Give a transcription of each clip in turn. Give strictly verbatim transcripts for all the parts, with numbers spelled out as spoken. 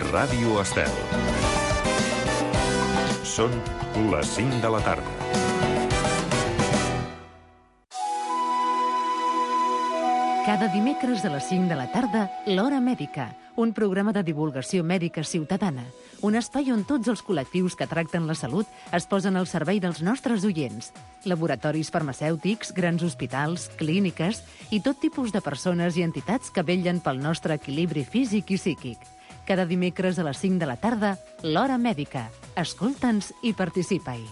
Ràdio Estel. Són les cinc de la tarda. Cada dimecres a les cinc de la tarda, l'Hora Mèdica, un programa de divulgació mèdica ciutadana, un espai on tots els col·lectius que tracten la salut es posen al servei dels nostres oients. Laboratoris farmacèutics, grans hospitals, clíniques i tot tipus de persones i entitats que vetllen pel nostre equilibri físic i psíquic. Cada dimecres a les cinc de la tarda, l'Hora Mèdica. Escolta'ns i participa-hi.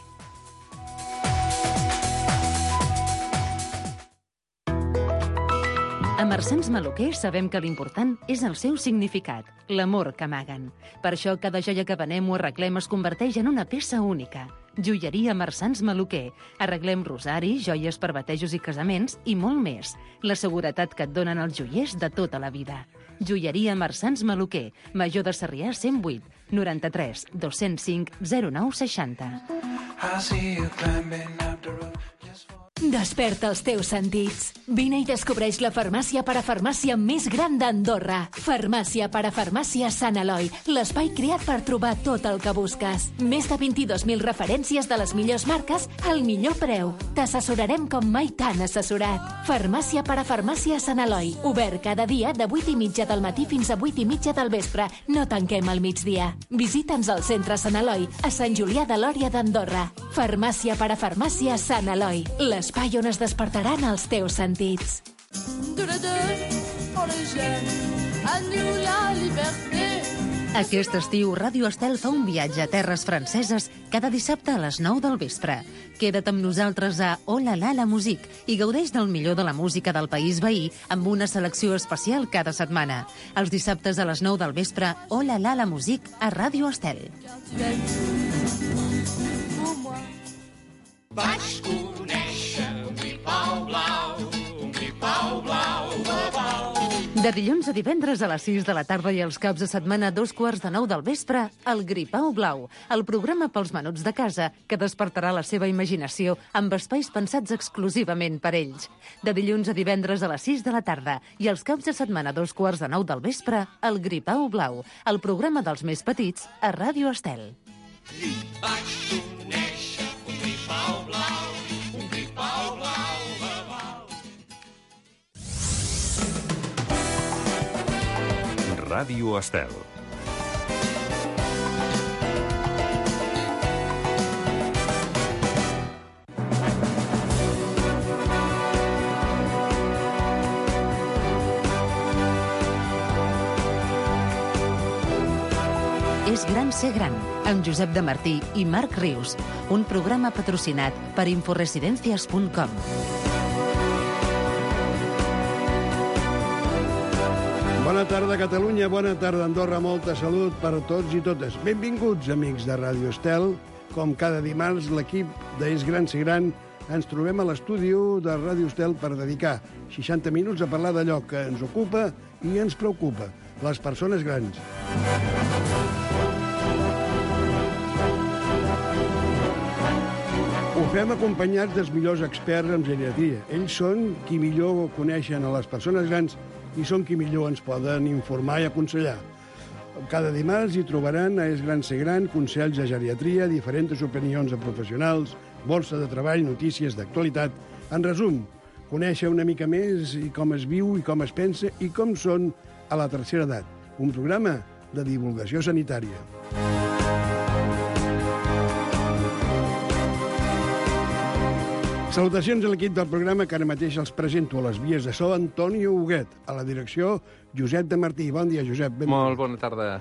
A Marsans Maluquer sabem que l'important és el seu significat, l'amor que amaguen. Per això cada joia que venem o arreglem es converteix en una peça única. Joieria Marsans Maluquer. Arreglem rosari, joies per batejos i casaments i molt més. La seguretat que et donen els joiers de tota la vida. Joieria Marsans Maluquer, Major de Sarrià cent vuit, noranta-tres, dos-cents cinc, zero nou seixanta. Desperta els teus sentits. Vine i descobreix la farmàcia parafarmàcia més gran d'Andorra. Farmàcia parafarmàcia Sant Eloi, l'espai creat per trobar tot el que busques. Més de vint-i-dos mil referències de les millors marques al millor preu. T'assessorarem com mai t'han assessorat. Farmàcia parafarmàcia Sant Eloi, obert cada dia de vuit i mitja del matí fins a vuit i mitja del vespre. No tanquem al migdia. Visita'ns al centre Sant Eloi, a Sant Julià de Lòria d'Andorra. Farmàcia parafarmàcia Sant Eloi, l'espai on es despertaran els teus sentits. Aquest estiu, Ràdio Estel fa un viatge a terres franceses cada dissabte a les nou del vespre. Queda't amb nosaltres a Oh la la la musique i gaudeix del millor de la música del país veí amb una selecció especial cada setmana. Els dissabtes a les nou del vespre, Oh la la la musique a Ràdio Estel. Vaig conèixer un gripau blau, un gripau blau, blau, blau. De dilluns a divendres a les sis de la tarda i els caps de setmana a dos quarts de nou del vespre, el Gripau Blau, el programa pels menuts de casa que despertarà la seva imaginació amb espais pensats exclusivament per ells. De dilluns a divendres a les sis de la tarda i els caps de setmana a dos quarts de nou del vespre, el Gripau Blau, el programa dels més petits a Ràdio Estel. Vaig conèixer un gripau blau, un gripau blau, blau, blau. Ràdio Estel. És gran ser gran, amb Josep de Martí i Marc Rius, un programa patrocinat per inforesidencias punt com. Bona tarda, Catalunya, bona tarda, Andorra, molta salut per a tots i totes. Benvinguts, amics de Ràdio Estel. Com cada dimarts, l'equip d'És Gran Ser Gran ens trobem a l'estudi de Ràdio Estel per dedicar seixanta minuts a parlar d'allò que ens ocupa i ens preocupa, les persones grans. Ho fem acompanyats dels millors experts en geriatria. Ells són qui millor coneixen a les persones grans i són qui millor ens poden informar i aconsellar. Cada dimarts hi trobaran a És Gran Ser Gran consells de geriatria, diferents opinions de professionals, borsa de treball, notícies d'actualitat. En resum, conèixer una mica més i com es viu i com es pensa i com són a la tercera edat. Un programa de divulgació sanitària. Salutacions a l'equip del programa que ara mateix els presento a les vies de so Antonio Huguet, a la direcció Josep de Martí. Bon dia, Josep. Ben Molt bona tarda.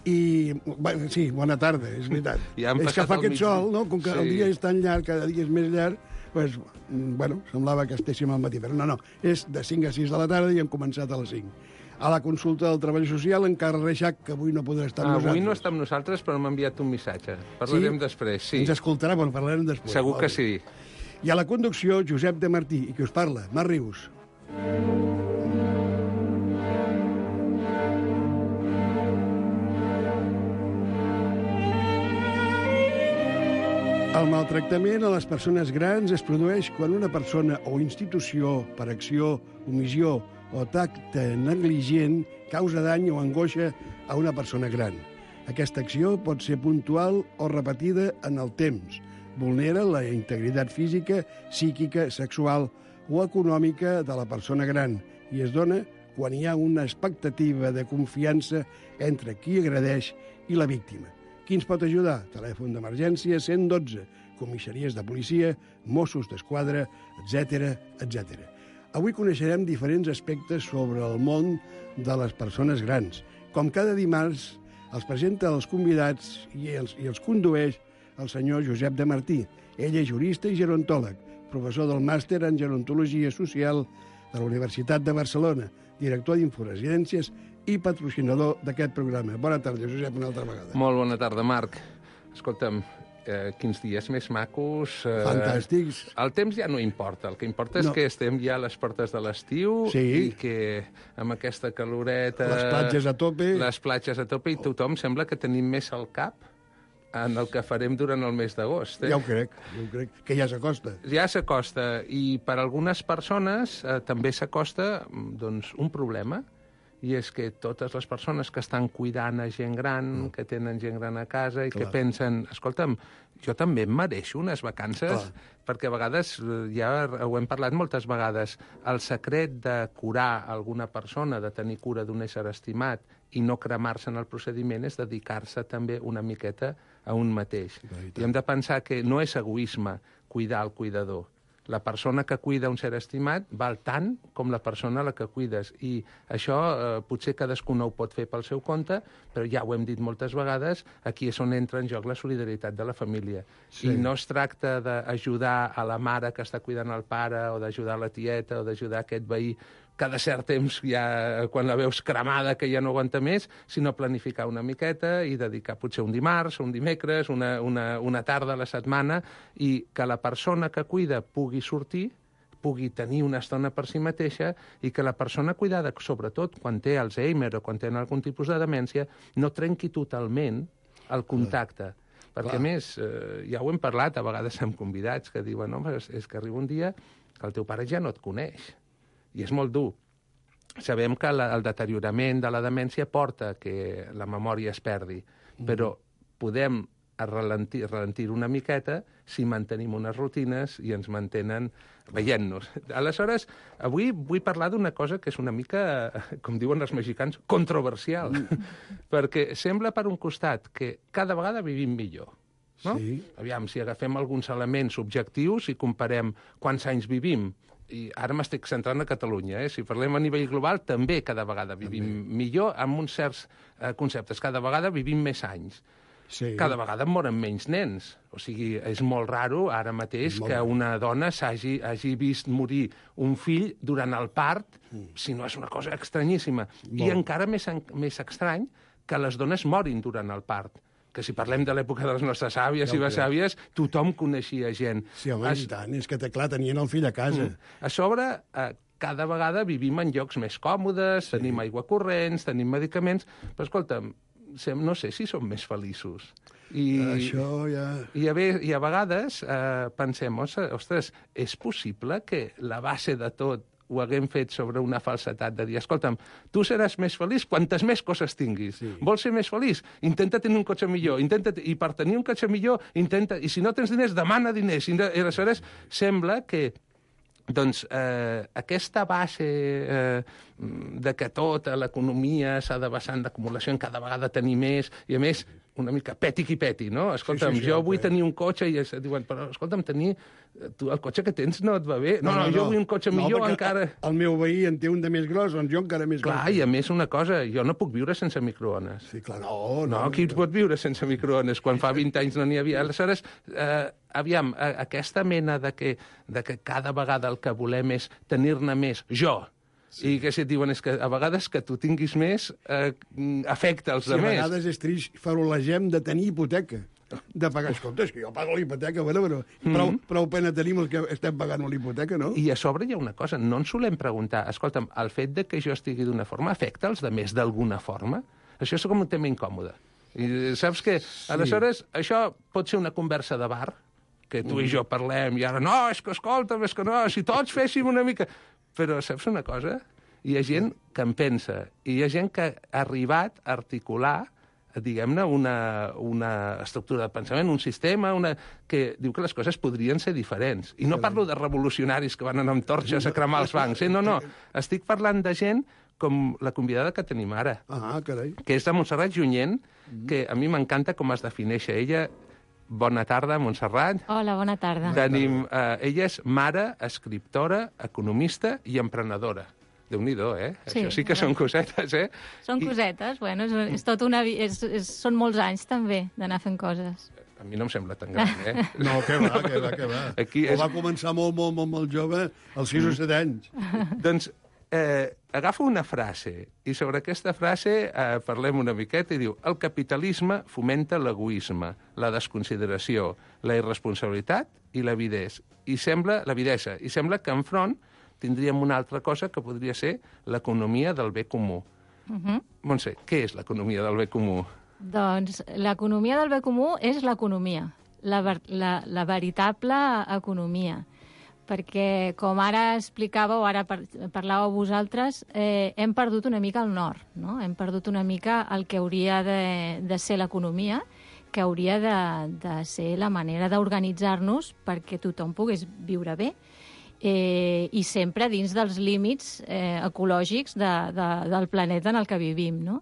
I, bueno, sí, bona tarda, és veritat. Ja és que fa aquest mig... sol, no? Com que sí. El dia és tan llarg, cada dia és més llarg, pues, bueno, semblava que estéssim al matí, però no, no, és de cinc a sis de la tarda i hem començat a les cinc. A la consulta del Treball Social, en Carles Reixac, que avui no podrà estar amb ah, nosaltres. Avui no està amb nosaltres, però m'ha enviat un missatge. Parlarem sí? després, sí. Ens escoltarà, bueno, parlarem després. Segur que sí. I a la conducció, Josep de Martí, i qui us parla, Marc Rius. El maltractament a les persones grans es produeix quan una persona o institució, per acció, omissió o tacte negligent, causa dany o angoixa a una persona gran. Aquesta acció pot ser puntual o repetida en el temps. Vulnera la integritat física, psíquica, sexual o econòmica de la persona gran i es dona quan hi ha una expectativa de confiança entre qui agredeix i la víctima. Qui ens pot ajudar? Telèfon d'emergència cent dotze, comissaries de policia, Mossos d'Esquadra, etcètera, etcètera. Avui coneixerem diferents aspectes sobre el món de les persones grans. Com cada dimarts, els presenta els convidats i els, i els condueix el senyor Josep de Martí. Ell és jurista i gerontòleg, professor del màster en gerontologia social de la Universitat de Barcelona, director d'Inforesidències i patrocinador d'aquest programa. Bona tarda, Josep, una altra vegada. Molt bona tarda, Marc. Escolta'm, eh, quins dies més macos. Eh, Fantàstics. El temps ja no importa. El que importa és No. que estem ja a les portes de l'estiu Sí. i que amb aquesta caloreta... Les platges a tope. Les platges a tope i tothom sembla que tenim més al cap en el que farem durant el mes d'agost. Eh? Ja ho crec, ja ho crec, que ja s'acosta. Ja s'acosta, i per algunes persones eh, també s'acosta doncs, un problema, i és que totes les persones que estan cuidant a gent gran, mm. que tenen gent gran a casa i Clar. que pensen, escolta'm, jo també em mereixo unes vacances, Clar. perquè a vegades, ja ho hem parlat moltes vegades, el secret de curar alguna persona, de tenir cura d'un ésser estimat i no cremar-se en el procediment és dedicar-se també una miqueta a un mateix. I hem de pensar que no és egoisme cuidar el cuidador. La persona que cuida un ser estimat val tant com la persona a la que cuides. I això eh, potser cadascú no ho pot fer pel seu compte, però ja ho hem dit moltes vegades, aquí és on entra en joc la solidaritat de la família. Sí. I no es tracta d'ajudar a la mare que està cuidant el pare, o d'ajudar la tieta, o d'ajudar aquest veí cada cert temps, ja, quan la veus cremada, que ja no aguanta més, sinó planificar una miqueta i dedicar potser un dimarts, un dimecres, una, una, una tarda a la setmana, i que la persona que cuida pugui sortir, pugui tenir una estona per si mateixa, i que la persona cuidada, sobretot quan té Alzheimer o quan té algun tipus de demència, no trenqui totalment el contacte. Clar. Perquè, Clar. a més, eh, ja ho hem parlat a vegades amb convidats que diuen, home, és, és que arriba un dia que el teu pare ja no et coneix. I és molt dur. Sabem que la, el deteriorament de la demència porta que la memòria es perdi, mm. però podem ralentir, ralentir una miqueta si mantenim unes rutines i ens mantenen veient-nos. Aleshores, avui vull parlar d'una cosa que és una mica, com diuen els mexicans, controversial, mm. perquè sembla per un costat que cada vegada vivim millor. No? Sí. Aviam, si agafem alguns elements objectius i comparem quants anys vivim, i ara m'estic centrant a Catalunya, eh? Si parlem a nivell global, també cada vegada vivim també. millor amb uns certs eh, conceptes. Cada vegada vivim més anys. Sí. Cada vegada moren menys nens. O sigui, és molt raro ara mateix que una dona s'hagi hagi vist morir un fill durant el part, mm. si no és una cosa estranyíssima. Molt. I encara més, més estrany que les dones morin durant el part. Que si parlem de l'època de les nostres àvies ja i besàvies, tothom coneixia gent. Sí, home, es... i tant, és que, clar, tenien el fill a casa. Mm. A sobre, eh, cada vegada vivim en llocs més còmodes, sí. tenim aigua corrents, tenim medicaments, però, escolta'm, no sé si som més feliços. I, Això ja... I a, ve, i a vegades eh, pensem, ostres, és possible que la base de tot ho haguem fet sobre una falsetat de dir, escolta'm, tu seràs més feliç quantes més coses tinguis. Sí. Vols ser més feliç? Intenta tenir un cotxe millor. Intenta I per tenir un cotxe millor, intenta... I si no tens diners, demana diners. I aleshores sembla que doncs, eh, aquesta base eh, de que tota l'economia s'ha de basar en l'acumulació, en cada vegada tenir més, i a més, una mica peti qui peti, no? Escolta'm, sí, sí, sí, jo vull okay. tenir un cotxe i es diuen, però escolta'm, tenir... Tu, el cotxe que tens no et va bé? No, no, no, no jo vull un cotxe no, millor encara... El meu veí en té un de més gros, doncs jo encara més clar, gros. Clar, i a més una cosa, jo no puc viure sense microones. Sí, clar, no, no. No, qui no. pot viure sense microones? Quan fa vint anys no n'hi havia. Aleshores, eh, aviam, eh, aquesta mena de que, de que cada vegada el que volem és tenir-ne més, jo, sí. i que si et diuen és que a vegades que tu tinguis més eh, afecta els sí, altres. A vegades és trist, farolegem de tenir hipoteca, de pagar. Escolta, és que jo pago la hipoteca, bueno, però mm-hmm. prou, prou pena tenim els que estem pagant la hipoteca, no? I a sobre hi ha una cosa, no ens solem preguntar, escolta'm, el fet de que jo estigui d'una forma afecta els altres d'alguna forma? Això és com un tema incòmode. I saps què? Sí. Aleshores, això pot ser una conversa de bar, que tu i jo parlem, i ara, no, és que escolta'm, és que no, si tots féssim una mica... Però saps una cosa? hi ha gent que en pensa, i hi ha gent que ha arribat a articular, diguem-ne, una, una estructura de pensament, un sistema, una... que diu que les coses podrien ser diferents. I no parlo de revolucionaris que van anar amb torxes a cremar els bancs, eh? No, no. Estic parlant de gent com la convidada que tenim ara, Ah, carai. que és de Montserrat Junyent, que a mi m'encanta com es defineix ella. Bona tarda, Montserrat. Hola, bona tarda. Tenim, eh, ella és mare, escriptora, economista i emprenedora. Déu-n'hi-do, eh? Sí, Això sí que són cosetes, eh? Són I cosetes, bueno, és, és tot una... vi- És, és, són molts anys, també, d'anar fent coses. a mi no em sembla tan gran, eh? No, que va, que va, que va. Aquí O és... va començar molt, molt, molt, molt jove, als sis o set anys. Doncs eh, agafo una frase, i sobre aquesta frase eh, parlem una miqueta, i diu: el capitalisme fomenta l'egoisme, la desconsideració, la irresponsabilitat i l'avidesa. I sembla, l'avidesa. I sembla que enfront tindríem una altra cosa que podria ser l'economia del bé comú. Uh -huh. Montse, què és l'economia del bé comú? Doncs l'economia del bé comú és l'economia, la, ver- la, la veritable economia. Perquè, com ara explicàveu, ara par parlàveu vosaltres, eh, hem perdut una mica el nord, no? Hem perdut una mica el que hauria de, de ser l'economia, que hauria de, de ser la manera d'organitzar-nos perquè tothom pogués viure bé. Eh, i sempre dins dels límits eh, ecològics de, de, del planeta en el que vivim, no?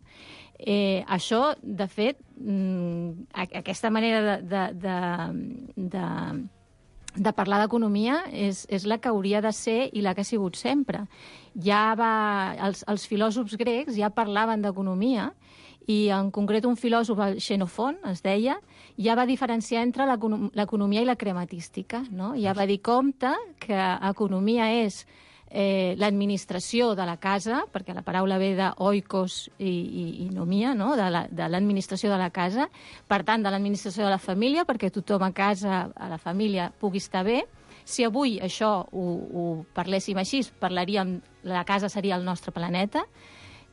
Eh, això, de fet, mm, aquesta manera de, de, de, de, de parlar d'economia és, és la que hauria de ser i la que ha sigut sempre. Ja va, els, els filòsofs grecs ja parlaven d'economia, i en concret un filòsof, el Xenofont, es deia, ja va diferenciar entre l'economia i la crematística, no? Ja va dir, compte, que economia és eh, l'administració de la casa, perquè la paraula ve d'oikos i, i, i nomia, no? De l'administració la, de, de la casa, per tant, de l'administració de la família, perquè tothom a casa, a la família, pugui estar bé. Si avui això ho, ho parléssim així, parlaríem, la casa seria el nostre planeta.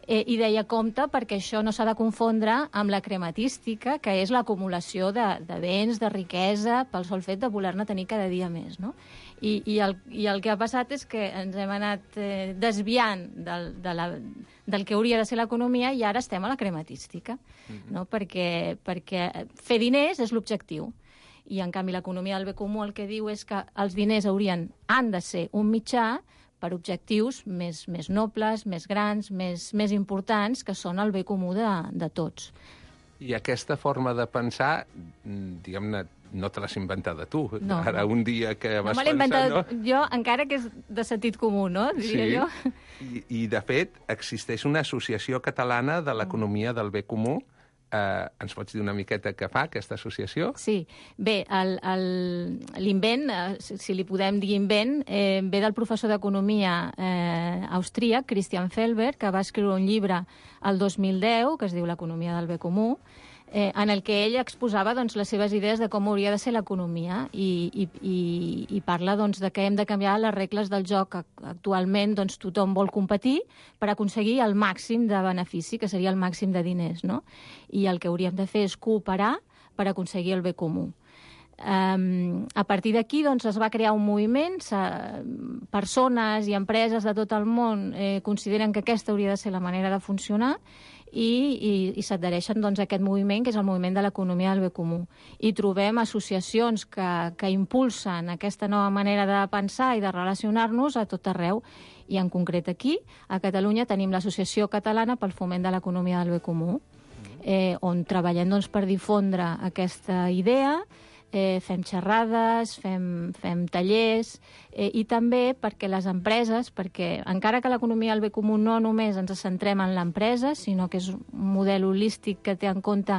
Eh, I deia compte perquè això no s'ha de confondre amb la crematística, que és l'acumulació de, de béns, de riquesa, pel sol fet de voler-ne tenir cada dia més, no? I, i, el, I el que ha passat és que ens hem anat eh, desviant del, de la, del que hauria de ser l'economia i ara estem a la crematística, mm-hmm. no? Perquè, perquè fer diners és l'objectiu. I, en canvi, l'economia del bé comú el que diu és que els diners haurien, han de ser un mitjà per objectius més, més nobles, més grans, més, més importants, que són el bé comú de, de tots. I aquesta forma de pensar, diguem-ne, no te l'has inventada tu. No, Ara, no. un dia que vas no me l'he pensar... inventat no? jo, encara que és de sentit comú, no? Diria Sí, jo. I, i de fet existeix una associació catalana de l'economia del bé comú. Eh, ens pots dir una miqueta què fa aquesta associació? Sí. Bé, l'invent, eh, si li podem dir invent, eh, ve del professor d'economia eh, austríac, Christian Felber, que va escriure un llibre el dos mil deu, que es diu L'economia del bé comú, eh, en el que ell exposava doncs, les seves idees de com hauria de ser l'economia i, i, i, i parla doncs, de que hem de canviar les regles del joc. Actualment doncs, tothom vol competir per aconseguir el màxim de benefici, que seria el màxim de diners, no? I el que hauríem de fer és cooperar per aconseguir el bé comú. Um, a partir d'aquí doncs, es va crear un moviment, persones i empreses de tot el món eh, consideren que aquesta hauria de ser la manera de funcionar i, i, i s'adhereixen doncs, a aquest moviment, que és el moviment de l'economia del bé comú. I trobem associacions que, que impulsen aquesta nova manera de pensar i de relacionar-nos a tot arreu. I en concret aquí, a Catalunya, tenim l'Associació Catalana pel Foment de l'Economia del Bé Comú, eh, on treballem doncs, per difondre aquesta idea. Eh, fem xerrades, fem, fem tallers, eh, i també perquè les empreses, perquè encara que l'economia del bé comú no només ens centrem en l'empresa, sinó que és un model holístic que té en compte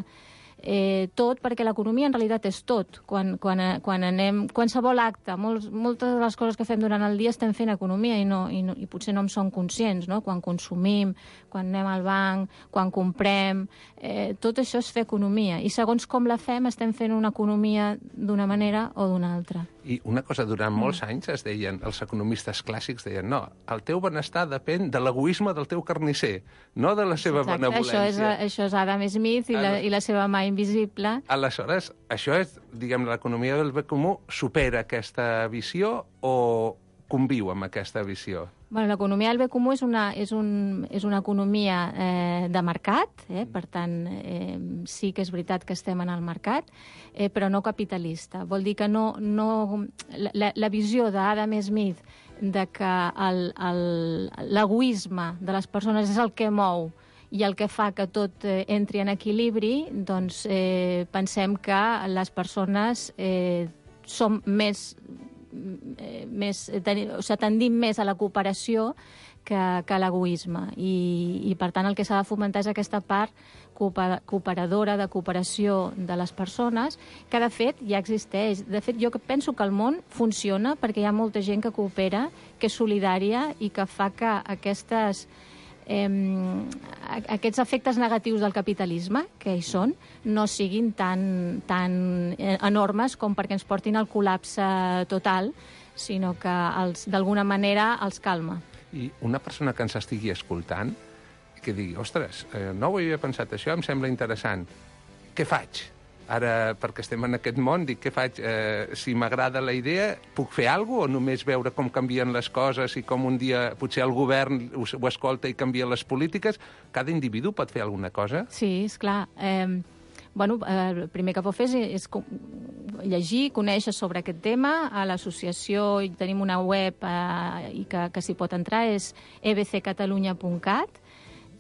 eh, tot, perquè l'economia en realitat és tot. Quan, quan, quan anem, qualsevol acte, molts, moltes de les coses que fem durant el dia estem fent economia i, no, i, no, i potser no en som conscients, no? Quan consumim, quan anem al banc, quan comprem, eh, tot això és fer economia. I segons com la fem, estem fent una economia d'una manera o d'una altra. I una cosa, durant molts anys es deien, els economistes clàssics deien, no, el teu benestar depèn de l'egoisme del teu carnisser, no de la seva Exacte, benevolència. això és, això és Adam Smith i la, i la seva mà invisible. Aleshores, això és, diguem, l'economia del bé comú supera aquesta visió o conviu amb aquesta visió? Bueno, l'economia del bé comú és una, és un, és una economia eh, de mercat, eh? Per tant, eh, sí que és veritat que estem en el mercat, eh, però no capitalista. Vol dir que no, no, la, la visió d'Adam Smith de que l'egoisme de les persones és el que mou i el que fa que tot eh, entri en equilibri, doncs eh, pensem que les persones eh, som més... més ten, o sigui, tendim més a la cooperació que, que a l'egoisme I, i per tant el que s'ha de fomentar és aquesta part cooperadora de cooperació de les persones, que de fet ja existeix. De fet, jo penso que el món funciona perquè hi ha molta gent que coopera, que és solidària i que fa que aquestes Eh, aquests efectes negatius del capitalisme, que hi són, no siguin tan, tan enormes com perquè ens portin al col·lapse total, sinó que d'alguna manera els calma. I una persona que ens estigui escoltant que digui, ostres, eh, no ho havia pensat això, em sembla interessant. Què faig? Ara, perquè estem en aquest món, dic, què faig? Eh, si m'agrada la idea, puc fer alguna cosa o només veure com canvien les coses i com un dia potser el govern ho, ho escolta i canvia les polítiques? Cada individu pot fer alguna cosa? Sí, esclar. Eh, bueno, eh, el primer que pot fer és, és llegir, conèixer sobre aquest tema. A l'associació tenim una web eh, i que, que s'hi pot entrar, és e be ce catalunya punt cat.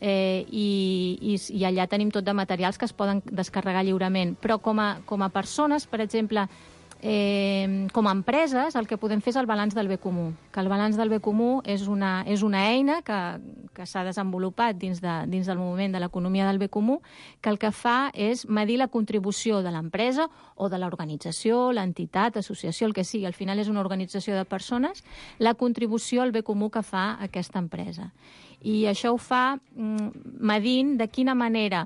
Eh, i, i, i allà tenim tot de materials que es poden descarregar lliurement. Però com a, com a persones, per exemple, eh, com a empreses, el que podem fer és el balanç del bé comú. Que el balanç del bé comú és una, és una eina que, que s'ha desenvolupat dins, de, dins del moviment de l'economia del bé comú, que el que fa és medir la contribució de l'empresa o de l'organització, l'entitat, associació, el que sigui. Al final és una organització de persones, la contribució al bé comú que fa aquesta empresa. I això ho fa medint de quina manera,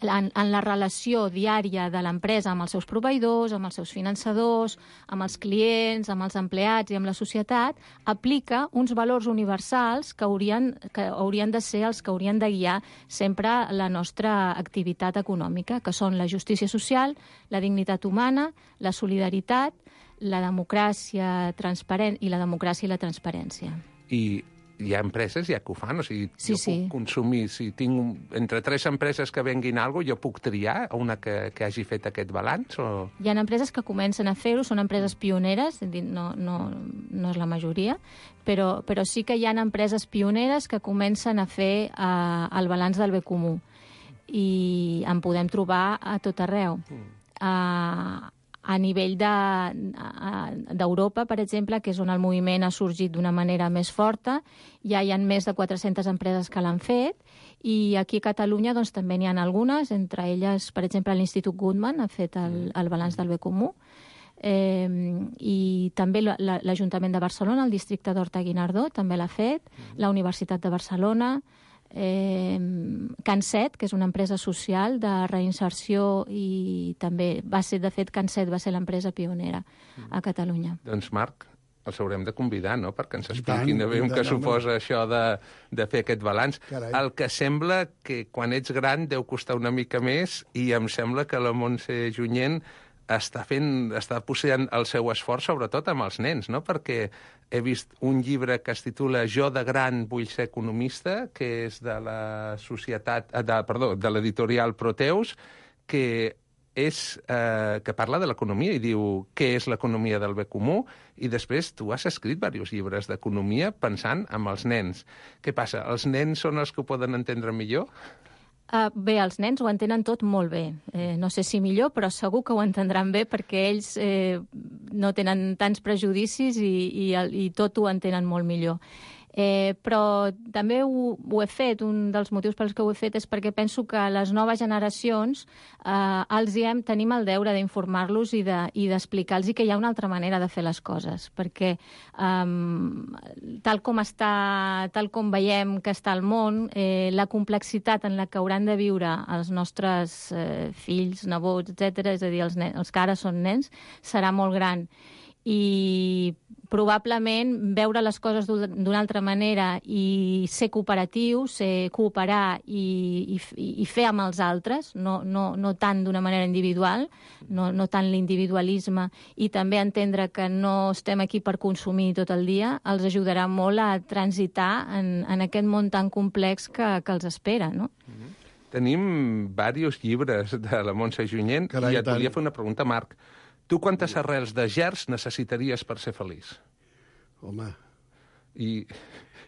en, en la relació diària de l'empresa amb els seus proveïdors, amb els seus finançadors, amb els clients, amb els empleats i amb la societat, aplica uns valors universals que haurien, que haurien de ser els que haurien de guiar sempre la nostra activitat econòmica, que són la justícia social, la dignitat humana, la solidaritat, la democràcia transparent i la democràcia i la transparència. I hi ha empreses ja que ho fan, o sigui, sí, jo sí. puc consumir, si tinc entre tres empreses que venguin alguna cosa, jo puc triar una que, que hagi fet aquest balanç? O... Hi ha empreses que comencen a fer-ho, són empreses pioneres, no, no, no és la majoria, però, però sí que hi ha empreses pioneres que comencen a fer uh, el balanç del bé comú i en podem trobar a tot arreu. Mm. Uh, A nivell d'Europa, de, per exemple, que és on el moviment ha sorgit d'una manera més forta, ja hi ha més de quatre-centes empreses que l'han fet, i aquí a Catalunya doncs, també n'hi ha algunes, entre elles, per exemple, l'Institut Goodman ha fet el, el balanç del bé comú, eh, i també l'Ajuntament de Barcelona, el districte d'Horta-Guinardó, també l'ha fet, la Universitat de Barcelona, Eh, CanSet, que és una empresa social de reinserció, i també va ser, de fet, CanSet va ser l'empresa pionera a Catalunya. Doncs, Marc, els haurem de convidar, no?, perquè ens expliquin bé què suposa això de, de fer aquest balanç. Carai. El que sembla que quan ets gran deu costar una mica més, i em sembla que la Montse Junyent està fent, està posant el seu esforç sobretot amb els nens, no?, perquè he vist un llibre que es titula Jo de gran vull ser economista, que és de la societat, de, perdó, de l'editorial Proteus, que és, eh, que parla de l'economia i diu què és l'economia del bé comú, i després tu has escrit diversos llibres d'economia pensant en els nens. Què passa? Els nens són els que ho poden entendre millor? Uh, bé, els nens ho entenen tot molt bé. Eh, no sé si millor, però segur que ho entendran bé perquè ells eh, no tenen tants prejudicis i, i, i tot ho entenen molt millor. Eh, però també ho, ho he fet, un dels motius pels que ho he fet és perquè penso que les noves generacions eh, els hem, tenim el deure d'informar-los i d'explicar-los de, i que hi ha una altra manera de fer les coses, perquè eh, tal com està, tal com veiem que està el món, eh, la complexitat en la que hauran de viure els nostres eh, fills, nebots, etcètera, és a dir, els, nens, els que ara són nens, serà molt gran. i probablement veure les coses d'una altra manera i ser cooperatiu, ser cooperar i, i, i fer amb els altres, no, no, no tant d'una manera individual, no, no tant l'individualisme, i també entendre que no estem aquí per consumir tot el dia, els ajudarà molt a transitar en, en aquest món tan complex que, que els espera, no? Mm-hmm. Tenim diversos llibres de la Montse Junyent i et volia fer una pregunta, Marc. Tu quantes arrels de gerds necessitaries per ser feliç? Home... I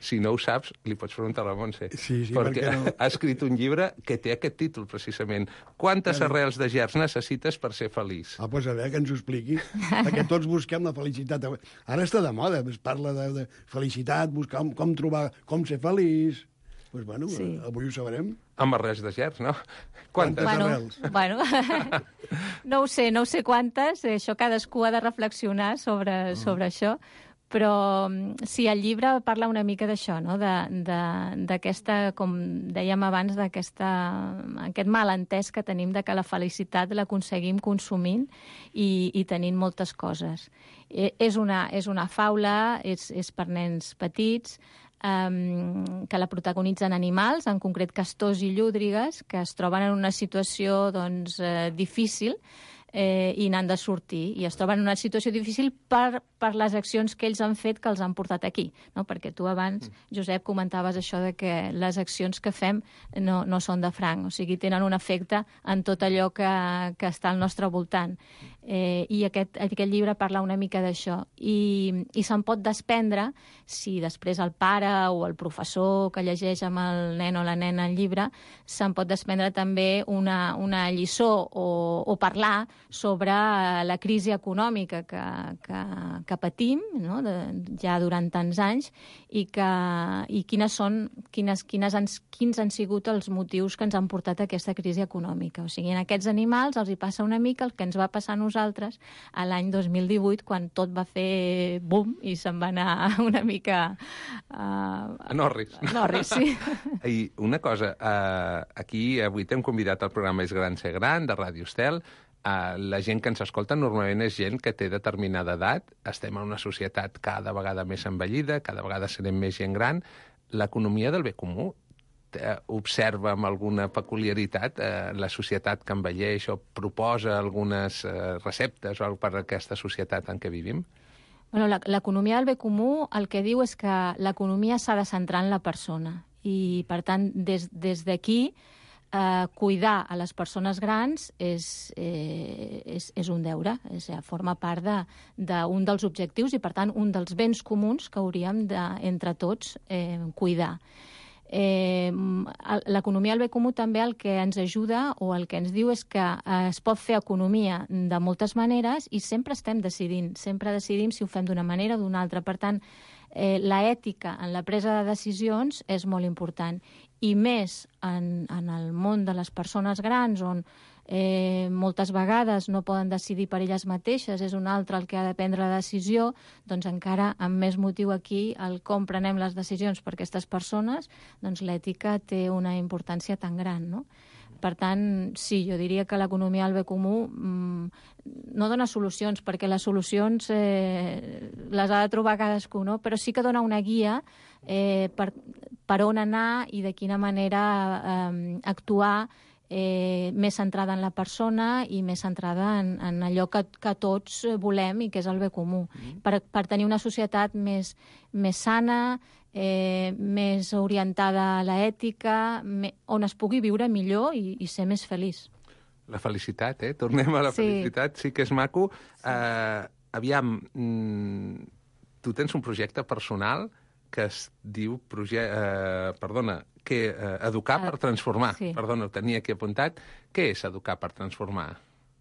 si no ho saps, li pots preguntar a la Montse. Sí, sí, perquè no? ha escrit un llibre que té aquest títol, precisament. Quantes Claro. arrels de gerds necessites per ser feliç? Ah, doncs a veure, que ens ho expliqui. Perquè tots busquem la felicitat. Ara està de moda, es parla de, de felicitat, buscar com, com trobar, com ser feliç. Doncs, pues, bueno, Sí. avui ho sabrem. Amb arrels de gerds, no? Quantes? Quantes? Bueno, bueno, no ho sé, no ho sé quantes, eh, això cadascú ha de reflexionar sobre, Ah. sobre això, però mm, sí, el llibre parla una mica d'això, no? De- de- d'aquesta, com dèiem abans, d'aquesta aquest malentès que tenim de que la felicitat l'aconseguim consumint i, i tenint moltes coses. Eh, és, una, és una faula, és, és per nens petits, Um, que la protagonitzen animals, en concret castors i llúdrigues, que es troben en una situació doncs, eh, difícil eh, i n'han de sortir. I es troben en una situació difícil per, per les accions que ells han fet que els han portat aquí. No? Perquè tu abans, Josep, comentaves això de que les accions que fem no, no són de franc, o sigui, tenen un efecte en tot allò que, que està al nostre voltant. Eh, I aquest, aquest llibre parla una mica d'això. I, i se'n pot desprendre si després el pare o el professor que llegeix amb el nen o la nena el llibre se'n pot desprendre també una, una lliçó o, o parlar sobre la crisi econòmica que, que, que patim, no? de, ja durant tants anys, i, que, i quines són, quines, quines han, quins han sigut els motius que ens han portat a aquesta crisi econòmica. O sigui, en aquests animals els hi passa una mica el que ens va passar a nosaltres a l'any dos mil divuit, quan tot va fer boom i se'n va anar una mica... Uh, A Norris. A Norris, sí. I una cosa, uh, aquí avui t'hem convidat al programa És Gran Ser Gran, de Ràdio Estel. Uh, la gent que ens escolta normalment és gent que té determinada edat. Estem en una societat cada vegada més envellida, cada vegada serem més gent gran. L'economia del bé comú eh, observa amb alguna peculiaritat eh, la societat que envelleix o proposa algunes eh, receptes o per a aquesta societat en què vivim? Bueno, l'economia del bé comú el que diu és que l'economia s'ha de centrar en la persona i, per tant, des, des d'aquí eh, cuidar a les persones grans és, eh, és, és un deure, és, eh, forma part d'un de, de dels objectius i, per tant, un dels béns comuns que hauríem de, entre tots, eh, cuidar. Eh, l'economia del bé comú també el que ens ajuda o el que ens diu és que eh, es pot fer economia de moltes maneres i sempre estem decidint, sempre decidim si ho fem d'una manera o d'una altra. Per tant, eh, l'ètica en la presa de decisions és molt important i més en, en el món de les persones grans on Eh, moltes vegades no poden decidir per elles mateixes, és un altre el que ha de prendre la decisió, doncs encara amb més motiu aquí el com prenem les decisions per aquestes persones, doncs l'ètica té una importància tan gran, no? Per tant, sí, jo diria que l'economia del bé comú mmm, no dona solucions, perquè les solucions eh, les ha de trobar cadascú, no? Però sí que dona una guia eh, per, per on anar i de quina manera eh, actuar Eh, més centrada en la persona i més centrada en, en allò que, que tots volem i que és el bé comú, mm. per, per tenir una societat més, més sana, eh, més orientada a l'ètica, me, on es pugui viure millor i, i ser més feliç. La felicitat, eh? Tornem a la sí. felicitat, sí que és maco. Uh, aviam, mm, tu tens un projecte personal que es diu... Proje uh, perdona, que uh, Educar per Transformar. Sí. Perdona, ho tenia aquí apuntat. Què és Educar per Transformar?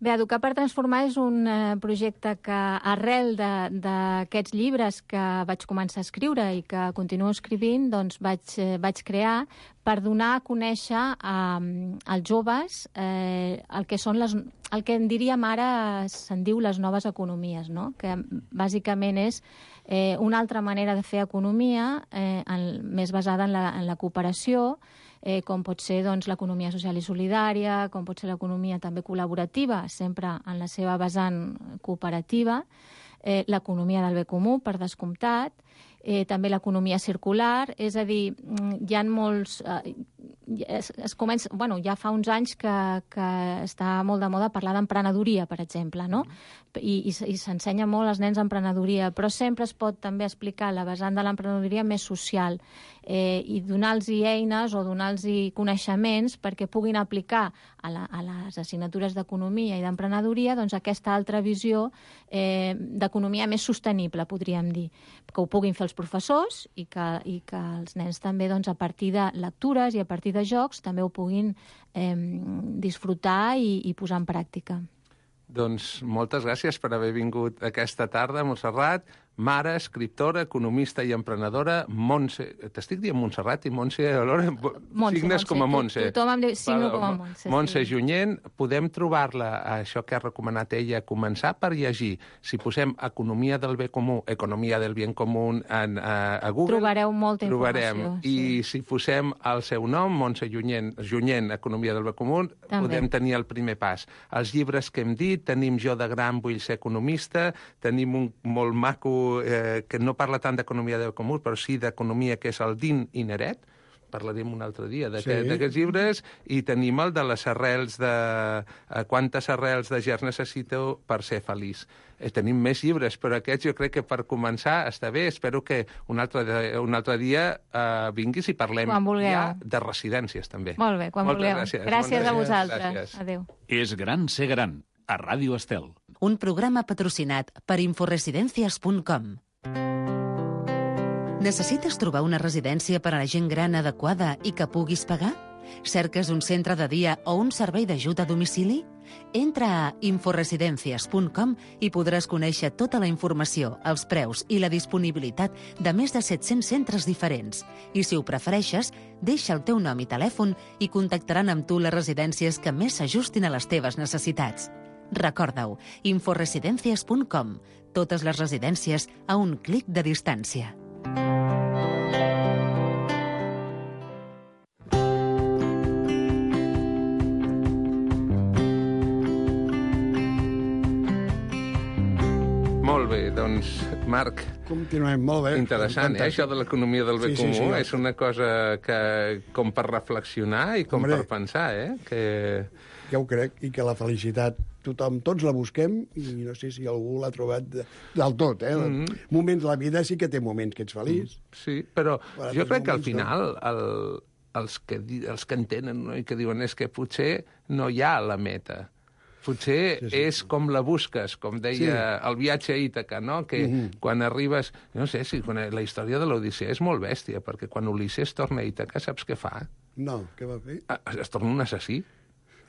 Bé, Educar per Transformar és un eh, projecte que, arrel d'aquests llibres que vaig començar a escriure i que continuo escrivint, doncs vaig, eh, vaig crear per donar a conèixer eh, als joves eh, el que són les, el que en diríem ara se'n diu les noves economies, no? Que bàsicament és eh, una altra manera de fer economia eh, en, més basada en la, en la cooperació, eh, com pot ser doncs, l'economia social i solidària, com pot ser l'economia també col·laborativa, sempre en la seva vessant cooperativa, eh, l'economia del bé comú, per descomptat, eh, també l'economia circular, és a dir, hi ha molts... Eh, es, es comença, bueno, ja fa uns anys que, que està molt de moda parlar d'emprenedoria, per exemple, no? I, i, i s'ensenya molt als nens emprenedoria, però sempre es pot també explicar la vessant de l'emprenedoria més social eh, i donar-los eines o donar-los coneixements perquè puguin aplicar a, la, a les assignatures d'economia i d'emprenedoria doncs, aquesta altra visió eh, d'economia més sostenible, podríem dir, que ho puguin fer els professors i que, i que els nens també doncs, a partir de lectures i a partir de jocs també ho puguin eh, disfrutar i, i posar en pràctica. Doncs moltes gràcies per haver vingut aquesta tarda, Montserrat, mare, escriptora, economista i emprenedora, Montse... T'estic dient Montserrat i Montse alhora Montse, signes Montse. com a Montse. Tothom em diu signo com a Montse. Montse sí. Junyent, podem trobar-la, això que ha recomanat ella, començar per llegir. Si posem Economia del bé comú, Economia del bien comú en, a, a Google... Trobareu molta trobarem. informació. I sí. si posem el seu nom, Montse Junyent, Junyent, Economia del bé comú, també podem tenir el primer pas. Els llibres que hem dit, tenim Jo de gran vull ser economista, tenim un molt maco eh, que no parla tant d'economia del comú, però sí d'economia, que és el Din i Neret, parlarem un altre dia d'aquests sí. llibres, i tenim el de les arrels de... Eh, quantes arrels de gerds necessito per ser feliç. Eh, tenim més llibres, però aquests jo crec que per començar està bé. Espero que un altre, un altre dia eh, vinguis i parlem ja de residències, també. Molt bé, quan Moltes vulgueu. Gràcies, gràcies a vosaltres. Gràcies. Adéu. És gran ser gran, a Ràdio Estel. Un programa patrocinat per inforesidencias punt com. Necessites trobar una residència per a la gent gran adequada i que puguis pagar? Cerques un centre de dia o un servei d'ajut a domicili? Entra a inforesidencias punt com i podràs conèixer tota la informació, els preus i la disponibilitat de més de set-cents centres diferents. I si ho prefereixes, deixa el teu nom i telèfon i contactaran amb tu les residències que més s'ajustin a les teves necessitats. Recorda-ho, inforesidencias punt com. Totes les residències a un clic de distància. Molt bé, doncs, Marc... Continuem, molt bé. Interessant, eh? Això de l'economia del bé sí, comú sí, sí, és una cosa que, com per reflexionar i com Hombre, per pensar, eh? Que... Ja ho crec, i que la felicitat tothom, tots la busquem, i no sé si algú l'ha trobat de, del tot, eh? Mm-hmm. Moments de la vida sí que té moments que ets feliç. Sí, però Però jo crec que al moments, final el, els, que, di- els que entenen no? I que diuen és que potser no hi ha la meta. Potser Sí, sí. és com la busques, com deia Sí. el viatge a Ítaca, no? Que Mhm. quan arribes... No sé, si quan, la història de l'Odissea és molt bèstia, perquè quan Ulisses torna a Ítaca, saps què fa? No, què va fer? Ah, es torna un assassí.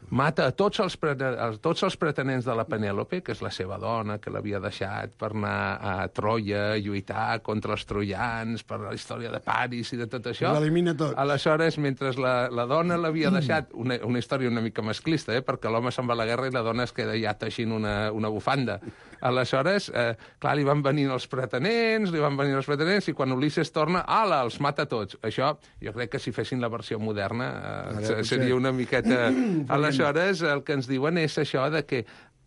Mata a tots els, pre- a tots els pretenents de la Penèlope, que és la seva dona, que l'havia deixat per anar a Troia, a lluitar contra els troians, per la història de Paris i de tot això. L'elimina tots. Aleshores, mentre la, la dona l'havia deixat, una, una història una mica masclista, eh, perquè l'home se'n va a la guerra i la dona es queda ja teixint una, una bufanda. Aleshores, eh, clar, li van venir els pretenents, li van venir els pretenents, i quan Ulisses torna, ala, els mata tots. Això, jo crec que si fessin la versió moderna, eh, Ara, seria potser. una miqueta... Aleshores, el que ens diuen és això de que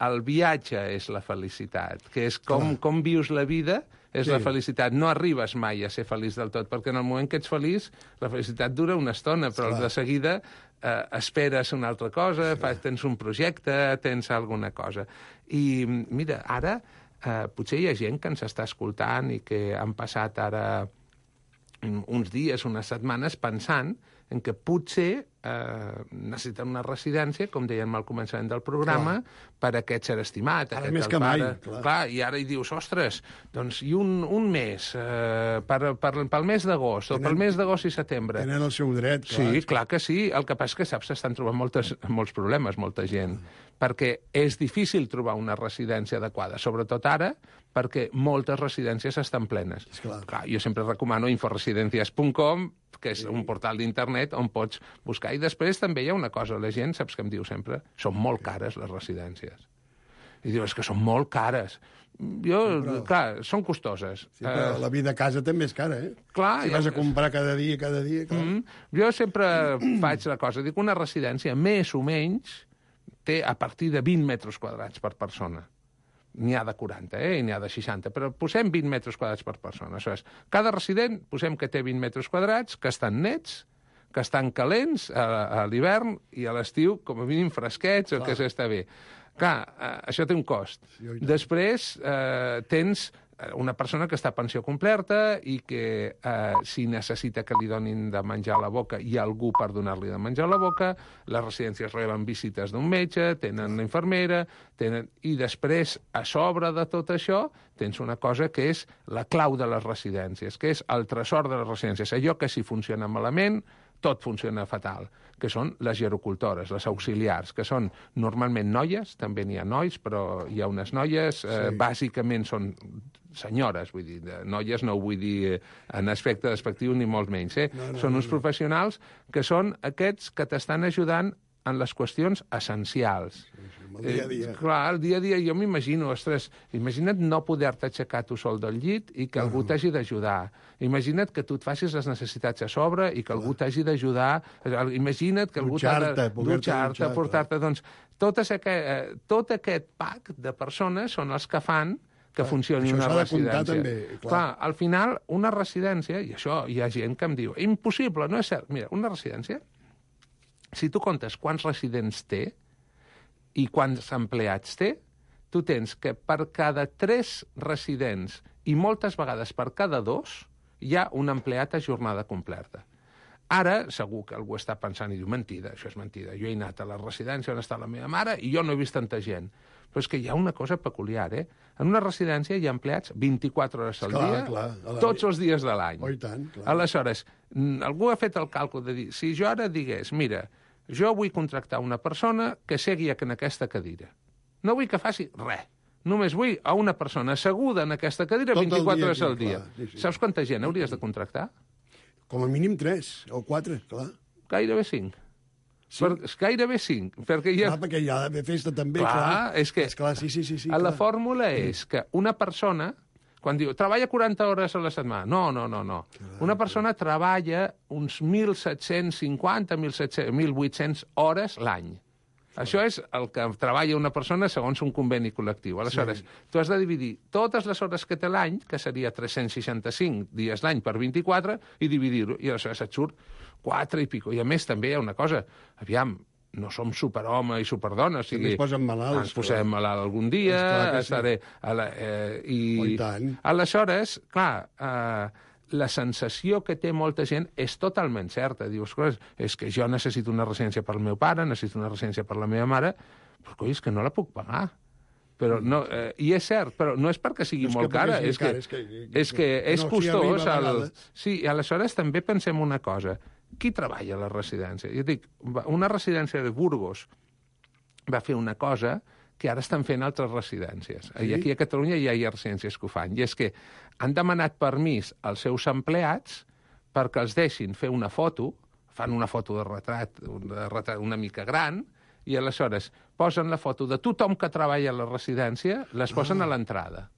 el viatge és la felicitat, que és com, com vius la vida, és Sí. la felicitat. No arribes mai a ser feliç del tot, perquè en el moment que ets feliç, la felicitat dura una estona, però Clar. de seguida eh, esperes una altra cosa, sí. fas, tens un projecte, tens alguna cosa. I mira, ara eh, potser hi ha gent que ens està escoltant i que han passat ara uns dies, unes setmanes, pensant en que potser eh, necessiten una residència, com dèiem al començament del programa, clar. per a aquest ser estimat. Ara aquest més el que mai, pare. clar. clar. I ara hi dius, ostres, doncs i un, un mes, eh, per, per, pel mes d'agost, o Tenen- pel mes d'agost i setembre. Tenen el seu dret, clar. Sí, clar que sí. El que passa és que, saps, s'estan trobant moltes, molts problemes, molta gent, perquè és difícil trobar una residència adequada, sobretot ara, perquè moltes residències estan plenes. Esclar. Clar, jo sempre recomano inforesidencias punt com, que és un portal d'internet on pots buscar. I després també hi ha una cosa, la gent, saps què em diu sempre? Són molt cares les residències. I diu, és que són molt cares. Jo, Però- clar, són costoses. Sí, però Eh, la vida a casa també és cara, eh? clar, Si ja- vas a comprar cada dia, cada dia... Clar. Mm. Jo sempre faig la cosa, dic, una residència més o menys té a partir de vint metres quadrats per persona. n'hi ha de quaranta, eh? I n'hi ha de seixanta, però posem vint metres quadrats per persona. Això és, cada resident posem que té vint metres quadrats, que estan nets, que estan calents a, a l'hivern i a l'estiu, com a mínim fresquets, o que s'està bé. Clar, eh, això té un cost. Després eh, tens una persona que està a pensió completa i que eh, si necessita que li donin de menjar a la boca, hi ha algú per donar-li de menjar a la boca, les residències reben visites d'un metge, tenen la infermera, tenen... i després, a sobre de tot això, tens una cosa que és la clau de les residències, que és el tresor de les residències. Allò que si funciona malament, tot funciona fatal, que són les gerocultores, les auxiliars, que són normalment noies, també n'hi ha nois, però hi ha unes noies, eh, sí. Bàsicament són senyores, vull dir, de noies no ho vull dir en aspecte despectiu ni molt menys, eh? No, no, són uns no, no. professionals que són aquests que t'estan ajudant en les qüestions essencials. Sí, sí, el dia a dia. Eh, clar, el dia a dia jo m'imagino, ostres, imagina't no poder-te aixecar tu sol del llit i que algú uh -huh. t'hagi d'ajudar. Imagina't que tu et facis les necessitats a sobre i que algú t'hagi d'ajudar. Imagina't que algú t'ha de dutxar-te, portar-te... Doncs tot aquest, tot aquest pack de persones són els que fan que funcioni una residència. També, clar. clar, al final, una residència, i això hi ha gent que em diu, impossible, no és cert. Mira, una residència, si tu comptes quants residents té i quants empleats té, tu tens que per cada tres residents i moltes vegades per cada dos hi ha un empleat a jornada completa. Ara, segur que algú està pensant i diu, mentida, això és mentida. Jo he anat a la residència on està la meva mare i jo no he vist tanta gent. Però és que hi ha una cosa peculiar, eh? En una residència hi ha empleats vint-i-quatre hores al clar, dia, clar, la... tots els dies de l'any. Oh, i tant, clar. Aleshores, algú ha fet el càlcul de dir, si jo ara digués, mira, jo vull contractar una persona que segui en aquesta cadira. No vull que faci res. Només vull a una persona asseguda en aquesta cadira tot vint-i-quatre hores aquí, al dia. Clar, sí, sí. Saps quanta gent hauries de contractar? Com a mínim tres o quatre, clar. Gairebé cinc. Sí. Per, gairebé cinc. Perquè hi ha... Clar, perquè hi ha d'haver festa també, clar. clar. És que Esclar, sí, sí, sí, sí, la clar. fórmula és que una persona, quan diu, treballa quaranta hores a la setmana, no, no, no, no. Clar, una persona clar. treballa uns mil set-cents cinquanta, mil vuit-cents hores l'any. Això és el que treballa una persona segons un conveni col·lectiu. Aleshores, sí. tu has de dividir totes les hores que té l'any, que seria tres-cents seixanta-cinc dies l'any per vint-i-quatre, i dividir-ho, i aleshores et surt quatre i pico. I a més també hi ha una cosa, aviam, no som superhome i superdona, o sigui, ens posen malalts, ens posem clar. malalt algun dia, estaré... Sí. A la, eh, i, oh, i tant. Aleshores, clar, eh, la sensació que té molta gent és totalment certa. Dius, és que jo necessito una residència per al meu pare, necessito una residència per la meva mare, però coi, és que no la puc pagar. Però no, eh, I és cert, però no és perquè sigui és molt cara, és que, és que, és, que és no, costós. Si el... Sí, i aleshores també pensem una cosa. Qui treballa a la residència? Jo dic, una residència de Burgos va fer una cosa que ara estan fent altres residències. Sí? I aquí a Catalunya ja hi ha residències que ho fan. I és que han demanat permís als seus empleats perquè els deixin fer una foto, fan una foto de retrat, de retrat una mica gran, i aleshores posen la foto de tothom que treballa a la residència, les posen ah. a l'entrada.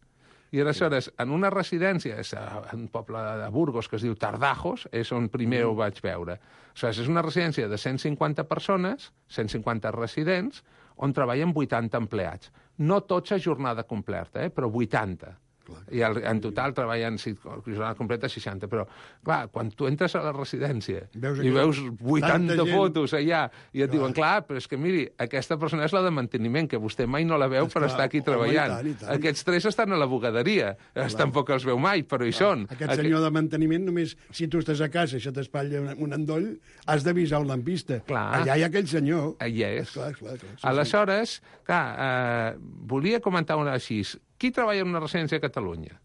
I aleshores, en una residència, és un poble de Burgos que es diu Tardajos, és on primer mm. ho vaig veure. Aleshores, és una residència de cent cinquanta persones, cent cinquanta residents, on treballen vuitanta empleats. No tots a jornada completa, eh, però vuitanta. Clar, I el, en total treballen, sí, jornada completa, seixanta. Però, clar, quan tu entres a la residència veus i veus vuitanta fotos allà, i et clar. diuen, clar, però és que, miri, aquesta persona és la de manteniment, que vostè mai no la veu per estar aquí treballant. Home, i tant, i tant. Aquests tres estan a la bugaderia. Clar. Tampoc els veu mai, però hi clar. són. Aquest senyor Aqu... de manteniment, només si tu estàs a casa i se t'espatlla un, un endoll, has d'avisar un lampista. Clar. Allà hi ha aquell senyor. Allà és. Clar, clar, clar, sí, aleshores, clar, eh, volia comentar una així. Qui treballa en una residència a Catalunya?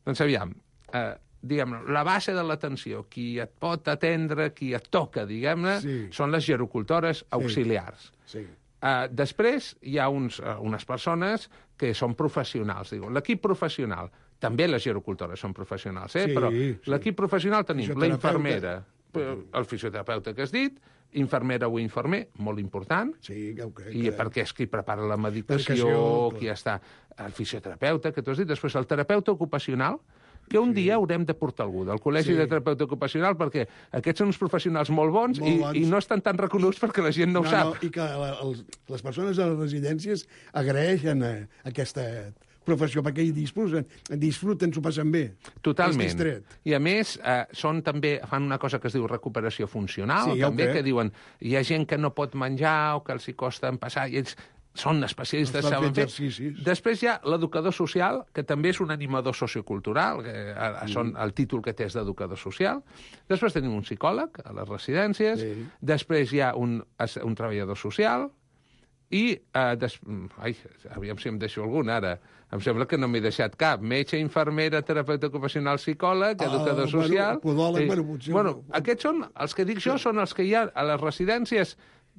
Doncs aviam, eh, diguem-ne, la base de l'atenció, qui et pot atendre, qui et toca, diguem-ne, sí. són les gerocultores auxiliars. Sí. Sí. Eh, després hi ha uns, uh, unes persones que són professionals. L'equip professional, també les gerocultores són professionals, eh? sí, però sí. l'equip professional tenim la infermera, el fisioterapeuta que has dit, infermera o infermer, molt important, sí, okay, i perquè és qui prepara la medicació, qui està el fisioterapeuta, que tu has dit, després el terapeuta ocupacional, que un sí. dia haurem de portar algú del Col·legi sí. de Terapeuta Ocupacional, perquè aquests són uns professionals molt bons, molt i, bons. i no estan tan reconeguts perquè la gent no, no ho sap. No, i que la, els, les persones a les residències agraeixen a, aquesta professió, perquè hi disfruten, disfruten, s'ho passen bé. Totalment. És distret. I a més, eh, són també, fan una cosa que es diu recuperació funcional, Sí, ja ho també, crec. que diuen, hi ha gent que no pot menjar o que els hi costa passar, i ells són especialistes, Els fan saben fer fer. exercicis. Després hi ha l'educador social, que també és un animador sociocultural, que eh, són el títol que té és d'educador social. Després tenim un psicòleg a les residències. Sí. Després hi ha un, un treballador social. I, eh, des... ai, aviam si em deixo algun ara. Em sembla que no m'he deixat cap. Metge, infermera, terapeuta ocupacional, psicòleg, educador Ah, social... bueno, podòleg, Eh, bueno, potser- bueno, aquests són, els que dic jo, són els que hi ha a les residències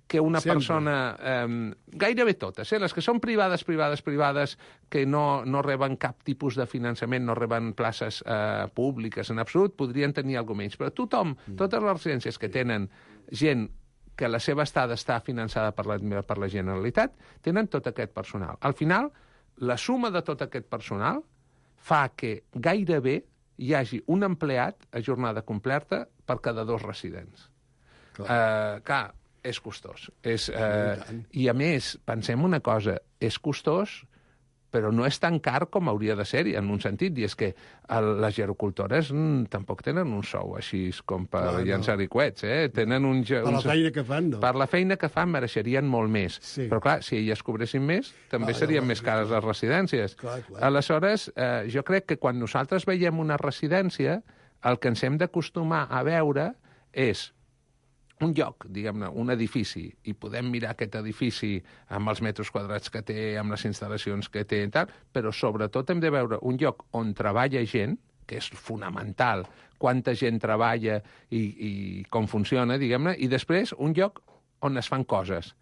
que una Sempre. persona... Eh, gairebé totes, eh? Les que són privades, privades, privades, que no, no reben cap tipus de finançament, no reben places eh, públiques en absolut, podrien tenir alguna menys. Però tothom, totes les residències que tenen gent que la seva estada està finançada per la, per la Generalitat, tenen tot aquest personal. Al final, la suma de tot aquest personal fa que gairebé hi hagi un empleat a jornada completa per cada dos residents. Clar, uh, clar és costós. És, uh, I, a més, pensem una cosa, és costós, però no és tan car com hauria de ser, en un sentit, i és que el, les gerocultores mm, tampoc tenen un sou així com per Clar, no. llançar coets, eh? Tenen un, ge- Per la un- feina que fan, no? Per la feina que fan mereixerien molt més. Sí. Però, clar, si elles cobressin més, també Clar, serien llavors, més cares les residències. Clar, clar. Aleshores, eh, jo crec que quan nosaltres veiem una residència, el que ens hem d'acostumar a veure és un lloc, diguem-ne, un edifici, i podem mirar aquest edifici amb els metres quadrats que té, amb les instal·lacions que té i tal, però sobretot hem de veure un lloc on treballa gent, que és fonamental, quanta gent treballa i, i com funciona, diguem-ne, i després un lloc on es fan coses.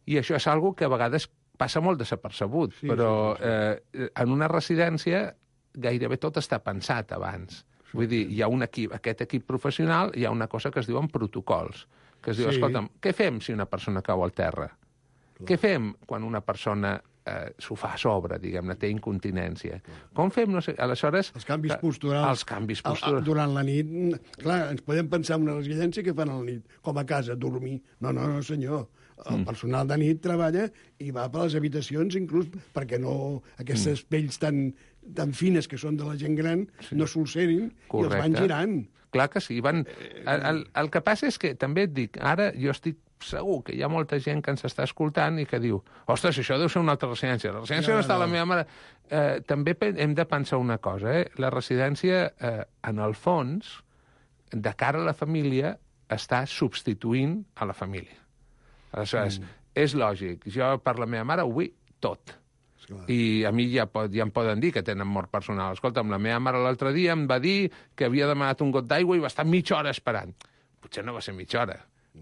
I això és algo que a vegades passa molt desapercebut, Sí, però sí, sí. Eh, en una residència gairebé tot està pensat abans. Vull dir, hi ha un equip, aquest equip professional, hi ha una cosa que es diuen protocols, que es diu, Sí. escolta'm, què fem si una persona cau al terra? Què fem quan una persona eh, s'ho fa a sobre, diguem-ne, té incontinència? Com fem? No sé, aleshores... Els canvis que- posturals. Els canvis A- a- posturals. Durant la nit, clar, ens podem pensar en una residència que fan a la nit, com a casa, dormir. No, no, no, senyor. El Mm. personal de nit treballa i va per les habitacions, inclús perquè no aquestes Mm. pells tan, tan fines que són de la gent gran no s'ulcerin i els van girant. Clar que sí. Van... El, el, el que passa és que, també et dic, ara jo estic segur que hi ha molta gent que ens està escoltant i que diu, ostres, això deu ser una altra residència. La residència No, no, no està no. la meva mare. Eh, també pe- hem de pensar una cosa, eh? La residència, eh, en el fons, de cara a la família, està substituint a la família. Aleshores, mm. és lògic. Jo, per la meva mare, ho vull tot. Esclar. I a mi ja, pot, ja em poden dir que tenen mort personal. Escolta'm, la meva mare l'altre dia em va dir que havia demanat un got d'aigua i va estar mitja hora esperant. Potser no va ser mitja hora,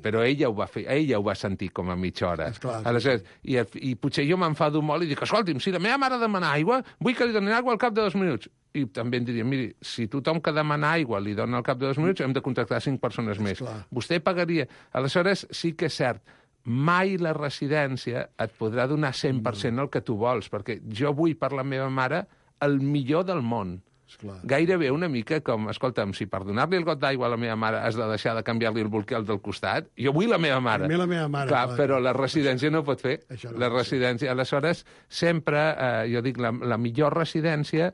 però ella ho va fer, ella ho va sentir com a mitja hora. Esclar, Aleshores, i, i potser jo m'enfado molt i dic, escolti'm, si la meva mare demana aigua, vull que li donin aigua al cap de dos minuts. I també em diria, miri, si tothom que demana aigua li dona al cap de dos minuts, hem de contractar cinc persones més. Esclar. Vostè pagaria... Aleshores, sí que és cert, mai la residència et podrà donar cent per cent el que tu vols, perquè jo vull per la meva mare el millor del món. Esclar. Gairebé una mica com, escolta'm, si per donar-li el got d'aigua a la meva mare has de deixar de canviar-li el bolquer del costat, jo vull la meva mare. També la meva mare, Clar, clar. però la residència no pot fer. Això no la pot ser. residència, aleshores, sempre, eh, jo dic, la, la millor residència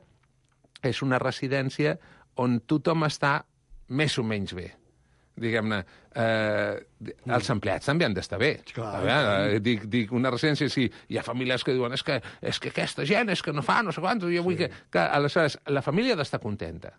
és una residència on tothom està més o menys bé. Diguem-ne, eh, els empleats també han d'estar bé. Clar, A veure, eh, dic, dic, una residència, sí, hi ha famílies que diuen és que, és que aquesta gent és que no fa no sé quantos, jo vull que... que... Aleshores, la família ha d'estar contenta.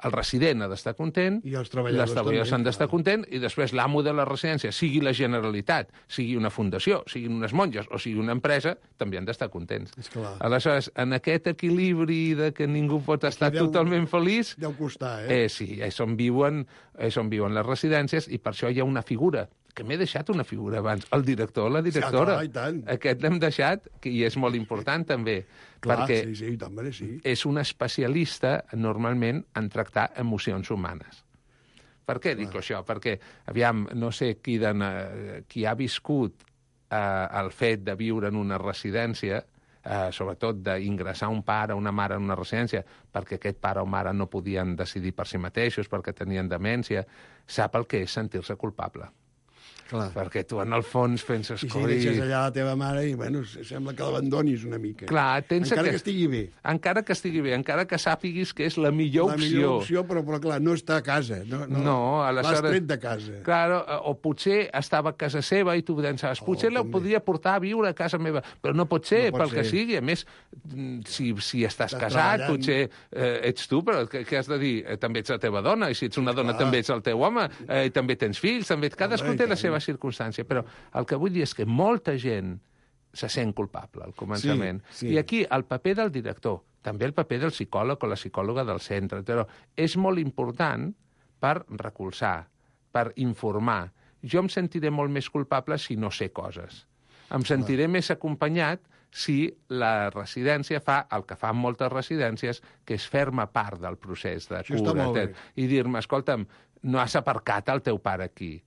El resident ha d'estar content, I els treballadors les treballadors també, han d'estar clar. contents, i després l'amo de la residència, sigui la Generalitat, sigui una fundació, siguin unes monges o sigui una empresa, també han d'estar contents. Esclar. Aleshores, en aquest equilibri de que ningú pot estar deu- totalment feliç, Deu costar, eh? eh, sí, és on, viuen, és on viuen les residències, i per això hi ha una figura, que m'he deixat una figura abans, el director o la directora. clar, i tant. Aquest l'hem deixat, que, i és molt important també, Clar, perquè sí, sí, i tant, sí. és un especialista, normalment, en tractar emocions humanes. Per què dic això? Perquè, aviam, no sé qui, de, qui ha viscut eh, el fet de viure en una residència, eh, sobretot d'ingressar un pare o una mare en una residència, perquè aquest pare o mare no podien decidir per si mateixos, perquè tenien demència, sap el que és sentir-se culpable. Clar. perquè tu en el fons penses... I si "Coi". deixes allà la teva mare i, bueno, sembla que l'abandonis una mica. Clar, tens Encara aquest- que estigui bé. Encara que estigui bé, encara que sàpiguis que és la millor La opció. millor opció, però, però clar, no està a casa. No, no, No, L'has aleshores... tret de casa. Claro, o potser estava a casa seva i tu pensaves, potser Oh, la també. podria portar a viure a casa meva, però no pot ser, No pot pel que ser. sigui. A més, mm, si, si estàs Estàs casat, treballant. potser eh, ets tu, però què, què has de dir? Eh, també ets la teva dona, i si ets una dona Clar. també ets el teu home, eh, i també tens fills, també... cadascú Home, i té la tant. seva circumstància, però el que vull dir és que molta gent se sent culpable al començament. Sí, sí. I aquí el paper del director, també el paper del psicòleg o la psicòloga del centre, però és molt important per recolzar, per informar. Jo em sentiré molt més culpable si no sé coses. Em sentiré més acompanyat si la residència fa el que fan moltes residències, que és fer-me part del procés de Això està cura. molt bé. I dir-me, escolta'm, no has aparcat el teu pare aquí.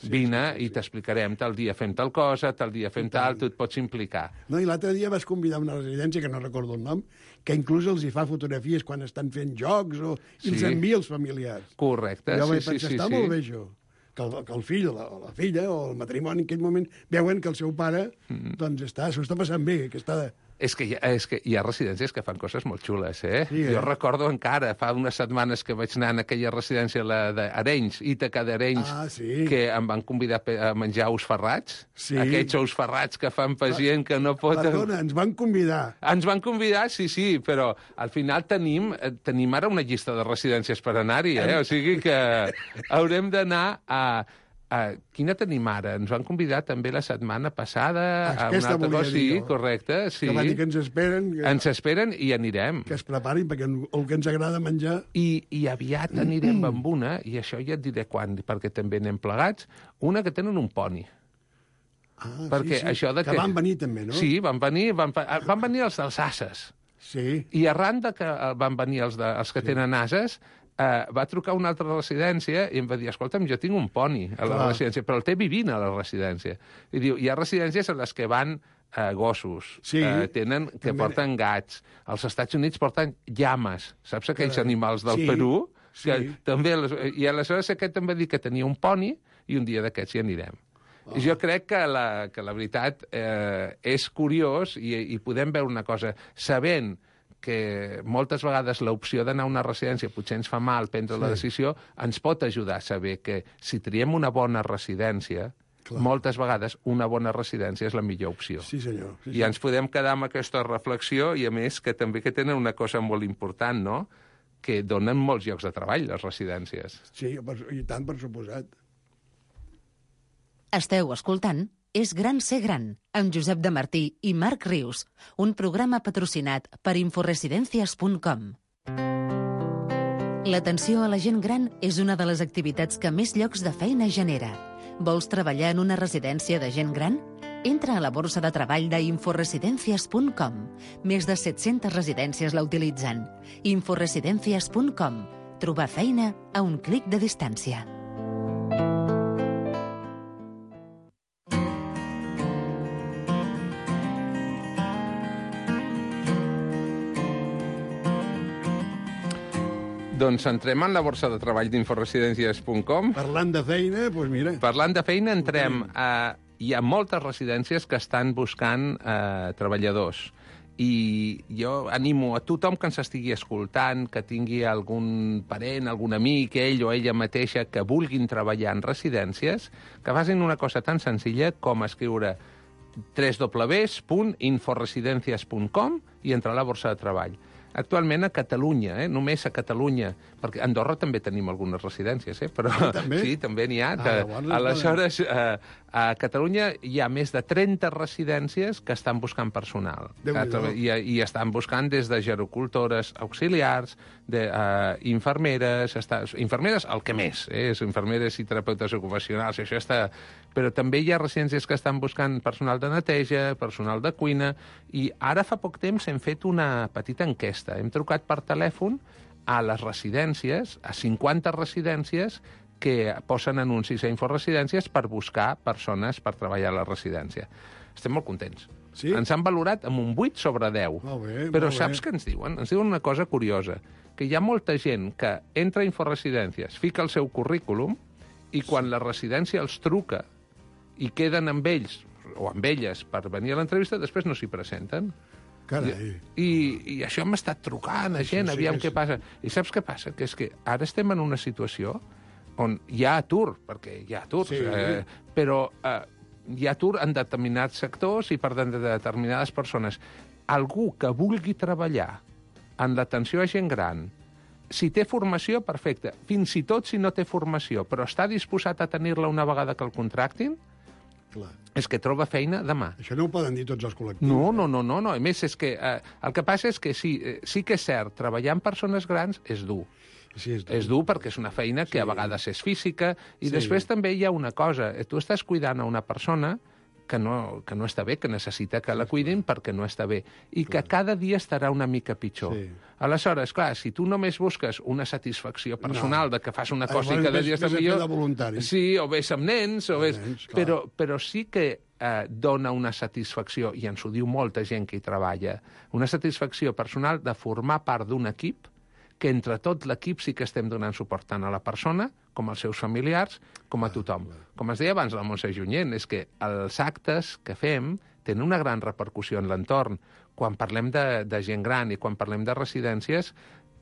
Vine i t'explicarem tal dia fem tal cosa, tal dia fem tal, tu et pots implicar. No, i l'altre dia vas convidar a una residència, que no recordo el nom, que inclús els hi fa fotografies quan estan fent jocs o, i els Sí. envia als familiars. Correcte, Jo sí, vaig sí, pensar, sí. està sí. molt bé això. Que el, que el fill o la, o la filla o el matrimoni en aquell moment veuen que el seu pare Mm. doncs està, s'ho està passant bé, que està... És que, hi ha, és que hi ha residències que fan coses molt xules, eh? Sí, eh? Jo recordo encara, fa unes setmanes que vaig anar en aquella residència, la d'Arenys, Ítaca d'Arenys, Ah, sí. que em van convidar pe- a menjar ous ferrats. Sí. Aquests ous ferrats que fan per gent que no pot... Perdona, ens van convidar. Ens van convidar, sí, sí, però al final tenim, eh, tenim ara una llista de residències per anar-hi, eh? O sigui que haurem d'anar a... a... Quina tenim ara? Ens van convidar també la setmana passada a Aquesta una altra volia cosa. dir Sí, jo. correcte, sí. Que van dir que ens esperen, que, Ens esperen i anirem. que es preparin, perquè el que ens agrada menjar... I, I aviat anirem amb una, i això ja et diré quan, perquè també anem plegats, una que tenen un poni. Ah, Perquè sí, sí. això de que... van venir també, no? Sí, van venir, van, fa- van venir els dels ases. Sí. I arran de que eh, van venir els, de, els que sí. tenen ases, eh, va trucar una altra residència i em va dir, escolta'm, jo tinc un poni a la Clar. residència, però el té vivint a la residència. I diu, hi ha residències en les que van eh, gossos, Sí. eh, tenen, que També. porten gats. Als Estats Units porten llames. Saps aquells Carai. animals del Sí, Perú? Que sí. també, les- I aleshores aquest em va dir que tenia un poni i un dia d'aquests hi anirem. Oh. I jo crec que la, que la veritat eh, és curiós i, i podem veure una cosa, sabent que moltes vegades l'opció d'anar a una residència potser ens fa mal prendre sí. la decisió, ens pot ajudar a saber que si triem una bona residència, Clar. moltes vegades una bona residència és la millor opció. Sí, senyor. Sí, I ens podem quedar amb aquesta reflexió i, a més, que també que tenen una cosa molt important, no?, que donen molts llocs de treball, les residències. sí, per, i tant, per suposat. Esteu escoltant És gran ser gran, amb Josep de Martí i Marc Rius, un programa patrocinat per inforesidencias punt com. L'atenció a la gent gran és una de les activitats que més llocs de feina genera. Vols treballar en una residència de gent gran? Entra a la borsa de treball d'inforesidencias punt com. Més de set-centes residències la utilitzen. inforesidencias punt com. Trobar feina a un clic de distància. Doncs entrem en la borsa de treball d'inforesidencias punt com. Parlant de feina, doncs mira... Parlant de feina, entrem a... Hi ha moltes residències que estan buscant eh, treballadors. I jo animo a tothom que ens estigui escoltant, que tingui algun parent, algun amic, ell o ella mateixa, que vulguin treballar en residències, que facin una cosa tan senzilla com escriure w w w punt inforesidencias punt com i entrar a la borsa de treball. Actualment a Catalunya, eh? només a Catalunya, perquè a Andorra també tenim algunes residències, eh? però Ah, també? sí, també n'hi ha. Ah, Que, llavors, aleshores, eh, a Catalunya hi ha més de trenta residències que estan buscant personal. Déu-n'hi-do. I, I estan buscant des de gerocultores auxiliars, de uh, infermeres, està, infermeres el que més, eh? infermeres i terapeutes ocupacionals, això està... Però també hi ha residències que estan buscant personal de neteja, personal de cuina, i ara fa poc temps hem fet una petita enquesta. Hem trucat per telèfon a les residències, a cinquanta residències que posen anuncis a Inforesidències per buscar persones per treballar a la residència. Estem molt contents. Sí? Ens han valorat amb un vuit sobre deu. Molt bé, Però molt saps bé. què ens diuen? Ens diuen una cosa curiosa, que hi ha molta gent que entra a Inforesidències, fica el seu currículum, i quan la residència els truca i queden amb ells o amb elles per venir a l'entrevista, després no s'hi presenten. Carai. I, i això hem estat trucant a gent, sí aviam que què sí. passa. I saps què passa? Que és que ara estem en una situació on hi ha atur, perquè hi ha atur, Sí. eh, però eh, hi ha atur en determinats sectors i per de determinades persones. Algú que vulgui treballar en l'atenció a gent gran, si té formació, perfecte. Fins i tot si no té formació, però està disposat a tenir-la una vegada que el contractin, Clar. és que troba feina demà. Això no ho poden dir tots els col·lectius. No, no, no, no, no. A més, és que eh, el que passa és que sí, eh, sí que és cert, treballar amb persones grans és dur. Sí, és dur. És dur perquè és una feina que Sí. a vegades és física i Sí. després també hi ha una cosa. eh, Tu estàs cuidant a una persona que no, que no està bé, que necessita que la cuidin perquè no està bé, i que cada dia estarà una mica pitjor. Sí. Aleshores, clar, si tu només busques una satisfacció personal No. de que fas una Ah, cosa i llavors cada vés- dia està vés a fer millor... de voluntari. Sí, o vés amb nens, o Amb vés... nens, clar. però, però sí que eh, dona una satisfacció, i ens ho diu molta gent que hi treballa, una satisfacció personal de formar part d'un equip que entre tot l'equip sí que estem donant suport tant a la persona com als seus familiars, com a tothom. Com es deia abans la Montse Junyent, és que els actes que fem tenen una gran repercussió en l'entorn. Quan parlem de, de gent gran i quan parlem de residències,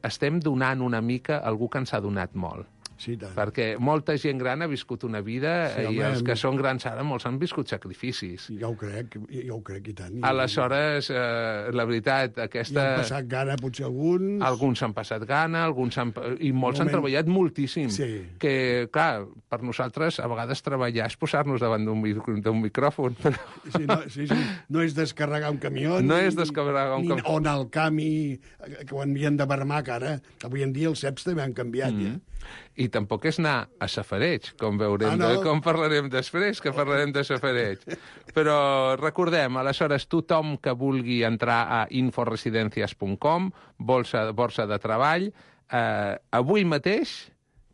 estem donant una mica a algú que ens ha donat molt. Sí, tant. Perquè molta gent gran ha viscut una vida Sí, i home, els que hem- són grans ara molts han viscut sacrificis. Ja ho crec, ja ho crec, i tant. I, Aleshores, eh, la veritat, I aquesta... han passat gana, potser alguns... Alguns s'han passat gana, alguns han... i molts han Moment. treballat moltíssim. Sí. Que, clar, per nosaltres, a vegades treballar és posar-nos davant d'un mi- d'un micròfon. Però... Sí, no, sí, sí. No és descarregar un camió... No ni- és descarregar un ni, camió. O anar al camp i... que ho envien de barmac, ara. Avui en dia els C E Ps també han canviat, mm. ja. I tampoc és anar a safareig, com veurem, Ah, no? de, com parlarem després, que parlarem de safareig. Però recordem, aleshores, tothom que vulgui entrar a inforesidencias punt com, borsa, borsa de treball, eh, avui mateix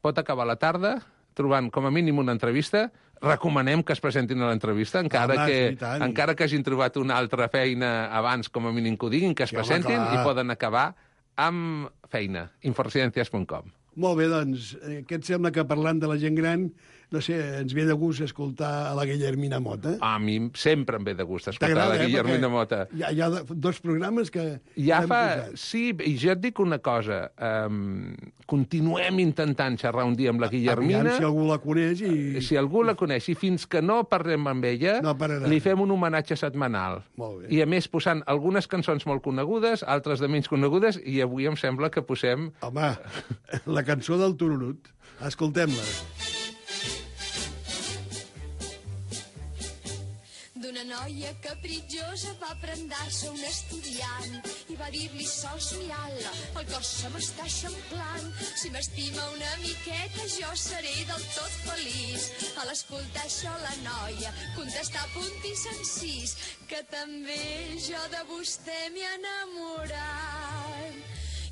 pot acabar la tarda trobant com a mínim una entrevista. Recomanem que es presentin a l'entrevista, encara, Home, que, sí, tant. encara que hagin trobat una altra feina abans, com a mínim que ho diguin, que es Sí, home, presentin clar. i poden acabar amb feina. inforesidencias punt com. Molt bé, doncs, eh, què et sembla que parlant de la gent gran, no sé, ens ve de gust escoltar a la Guillermina Mota? A mi sempre em ve de gust escoltar T'agrada, la eh? Guillermina Perquè Mota. Hi ha, hi ha dos programes que... Ja hem fa... posat. Sí, i jo et dic una cosa. Um, continuem intentant xerrar un dia amb la Guillermina. Aviam si algú la coneix i... Si algú la coneix, i fins que no parlem amb ella, No pararà. li fem un homenatge setmanal. Molt bé. I a més posant algunes cançons molt conegudes, altres de menys conegudes, i avui em sembla que posem... Home, la cançó del Tururut. Escoltem-la. D'una noia capritjosa va prendar-se un estudiant i va dir-li sols mirant-la, el cos se m'està eixamplant. Si m'estima una miqueta jo seré del tot feliç. A l'escoltar això la noia contestà punt i sencís que també jo de vostè m'he enamorat.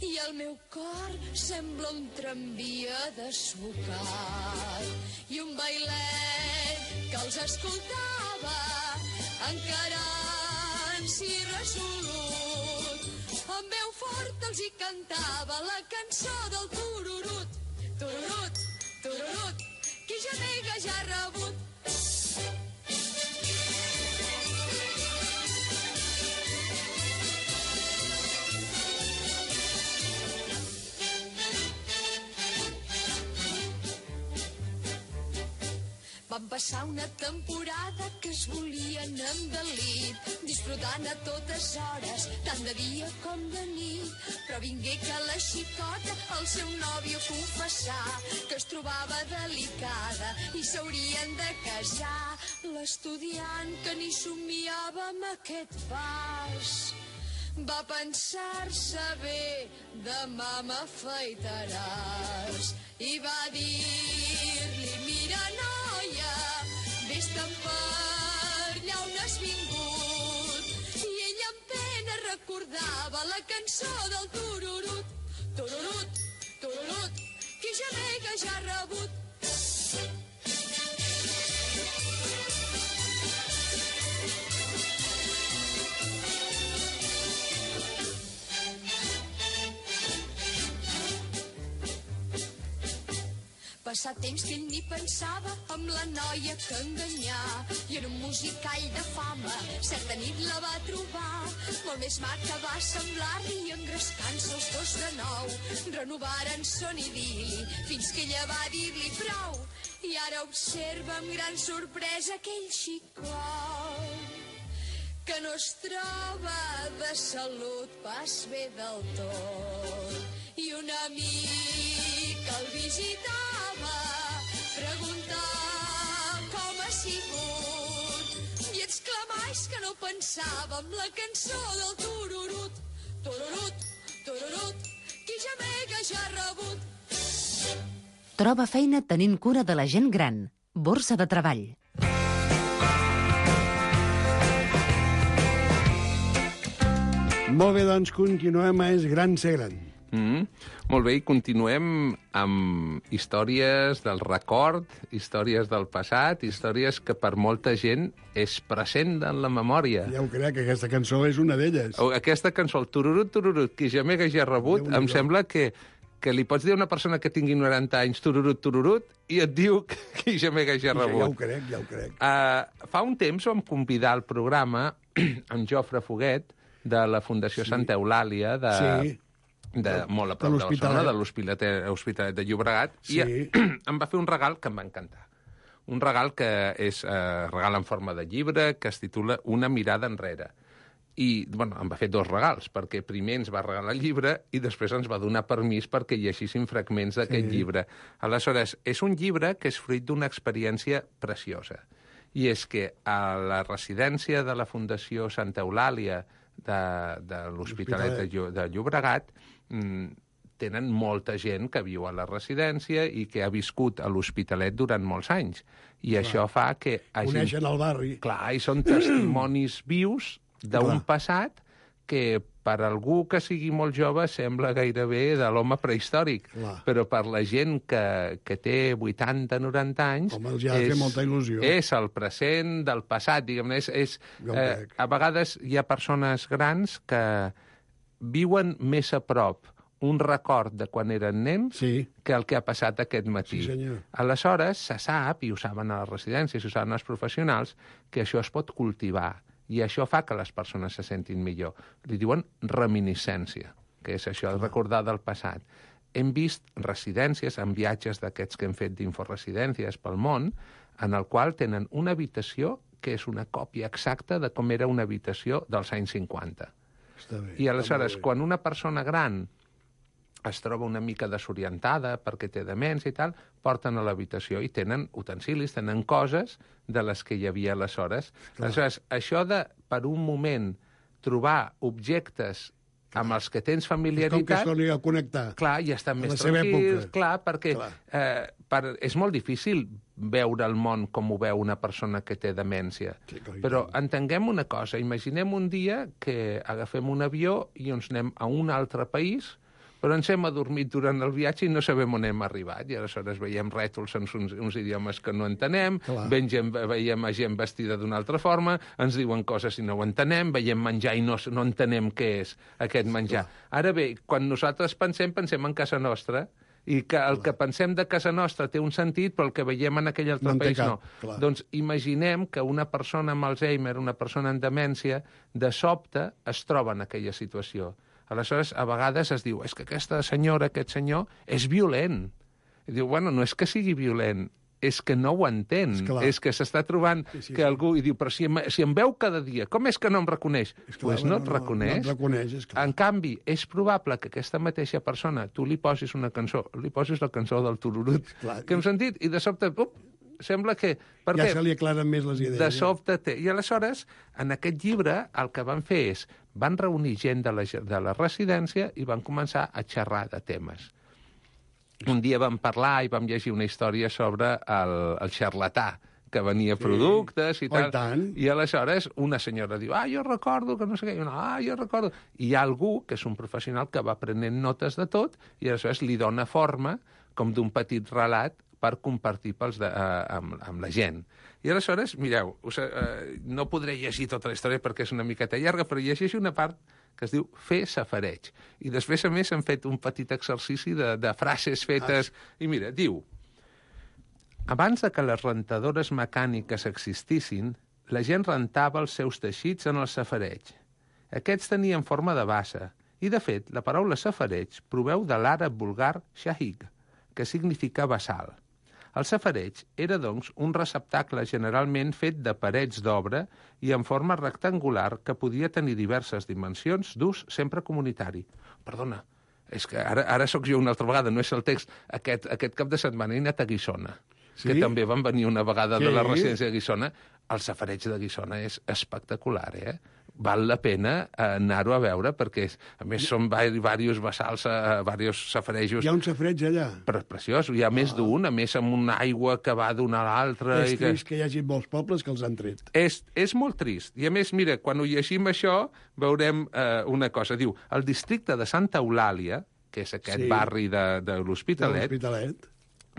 I el meu cor sembla un tramvia desbocat i un bailet que els escoltava encarant-s'hi resolut. Amb veu forta els hi cantava la cançó del tururut. Tururut, tururut, qui gemega ja ha rebut. Van passar una temporada que es volien endelit, disfrutant a totes hores, tant de dia com de nit. Però vingué que la xicota al seu nòvio confessà que es trobava delicada i s'haurien de casar. L'estudiant que ni somiava amb aquest pas va pensar-se bé, demà m'afaitaràs. I va dir-li, mira noia, vés-te'n per allà on has vingut. I ella amb pena recordava la cançó del tururut. Tururut, tururut, qui gemega ja ha rebut. passat temps que ell ni pensava amb la noia que enganyà. I en un musicall de fama certa nit la va trobar, molt més maca va semblar-li, i engrescant-se els dos de nou renovaren son idili fins que ella va dir-li prou. I ara observa amb gran sorpresa aquell xicot que no es troba de salut pas bé del tot. I un amic el visitava, preguntar com ha sigut, i exclamar és que no pensava amb la cançó del tururut, tururut, tururut, qui gemega ja ha rebut. Troba feina tenint cura de la gent gran. Borsa de treball. Molt bé, doncs continuem a És Gran Ser Gran. Mm, molt bé, i continuem amb històries del record, històries del passat, històries que per molta gent és present en la memòria. Ja ho crec, que aquesta cançó és una d'elles. Aquesta cançó, el tururut, tururut, qui gemega ja ha rebut, em sembla que, que li pots dir a una persona que tingui noranta anys tururut, tururut, i et diu que qui gemega ja ha rebut. Ja ho crec, ja ho crec. Uh, fa un temps vam convidar al programa en Jofre Foguet, de la Fundació sí. Santa Eulàlia, de, sí. de molt a prop de, de Barcelona, de l'Hospitalet de Llobregat, sí. i em va fer un regal que em va encantar. Un regal que és eh, regal en forma de llibre, que es titula Una mirada enrere. I, bueno, em va fer dos regals, perquè primer ens va regalar el llibre i després ens va donar permís perquè llegíssim fragments d'aquest sí. llibre. Aleshores, és un llibre que és fruit d'una experiència preciosa. I és que a la residència de la Fundació Santa Eulàlia de, de l'Hospitalet de, de Llobregat mm, tenen molta gent que viu a la residència i que ha viscut a l'Hospitalet durant molts anys. I clar. Això fa que... Hagin... Coneixen el barri. Clar, i són testimonis vius d'un passat que per algú que sigui molt jove sembla gairebé de l'home prehistòric. Clar. Però per la gent que, que té vuitanta noranta anys... Home, els ha de fer molta il·lusió. És el present del passat, diguem-ne. És, és, eh, a vegades hi ha persones grans que viuen més a prop un record de quan eren nens sí. que el que ha passat aquest matí. Sí, senyor. Aleshores, se sap, i ho saben a les residències, ho saben els professionals, que això es pot cultivar. I això fa que les persones se sentin millor. Li diuen reminiscència, que és això, el recordar del passat. Hem vist residències en viatges d'aquests que hem fet d'inforesidències pel món, en el qual tenen una habitació que és una còpia exacta de com era una habitació dels anys cinquanta. Està bé, I aleshores, quan una persona gran es troba una mica desorientada perquè té demència i tal, porten a l'habitació i tenen utensilis, tenen coses de les que hi havia aleshores. Clar. Aleshores, això de, per un moment, trobar objectes clar. Amb els que tens familiaritat... És com que es torni a connectar. Clar, i estan més tranquils, clar, perquè clar. Eh, per, és molt difícil veure el món com ho veu una persona que té demència. Sí, però entenguem una cosa, imaginem un dia que agafem un avió i ens anem a un altre país, però ens hem adormit durant el viatge i no sabem on hem arribat. I aleshores veiem rètols en uns, uns idiomes que no entenem, veiem, veiem gent vestida d'una altra forma, ens diuen coses i no ho entenem, veiem menjar i no, no entenem què és aquest menjar. Clar. Ara bé, quan nosaltres pensem, pensem en casa nostra, i que el clar. Que pensem de casa nostra té un sentit, però el que veiem en aquell altre no país no. Clar. Doncs imaginem que una persona amb Alzheimer, una persona en demència, de sobte es troba en aquella situació. Aleshores, a vegades es diu, és que aquesta senyora, aquest senyor, és violent. I diu, bueno, no és que sigui violent, és que no ho entén. És, és que s'està trobant sí, sí, que algú... I diu, però si em, si em veu cada dia, com és que no em reconeix? Doncs pues no et no, reconeix. No et reconeix, és clar. En canvi, és probable que aquesta mateixa persona, tu li posis una cançó, li posis la cançó del tururut, clar, que hem sentit, i de sobte... Up, sembla que... Per ja què? se li aclaren més les idees. De sobte té. I aleshores, en aquest llibre, el que van fer és, van reunir gent de la, de la residència i van començar a xerrar de temes. Un dia vam parlar i vam llegir una història sobre el, el xarlatà, que venia sí. productes i tal. Oh, i tant. I aleshores una senyora diu, ah, jo recordo que no sé què, i una, ah, jo recordo. I hi ha algú, que és un professional, que va prenent notes de tot i aleshores li dona forma, com d'un petit relat, per compartir pels de, eh, amb, amb la gent. I aleshores, mireu, us, eh, no podré llegir tota la història perquè és una miqueta llarga, però llegeixo una part que es diu fer safareig. I després, a més, hem fet un petit exercici de, de frases fetes. Ah. I mira, diu, Abans de que les rentadores mecàniques existissin, la gent rentava els seus teixits en el safareig. Aquests tenien forma de bassa, i, de fet, la paraula safareig proveu de l'àrab vulgar shahig, que significa bassal. El safareig era, doncs, un receptacle generalment fet de parets d'obra i en forma rectangular que podia tenir diverses dimensions d'ús sempre comunitari. Perdona, és que ara, ara sóc jo una altra vegada, no és el text. Aquest, aquest cap de setmana he anat a Guissona, sí? Que també van venir una vegada sí. de la residència de Guissona. El safareig de Guissona és espectacular, eh? Val la pena anar-ho a veure, perquè, a més, són diversos bassals, diversos safarejos. Hi ha un safareig allà? Però preciós, hi ha ah. més d'un, a més, amb una aigua que va d'una a l'altra. És i trist que... que hi hagi molts pobles que els han tret. És, és molt trist. I, a més, mira, quan ho llegim això, veurem eh, una cosa. Diu, el districte de Santa Eulàlia, que és aquest sí. barri de, de l'Hospitalet,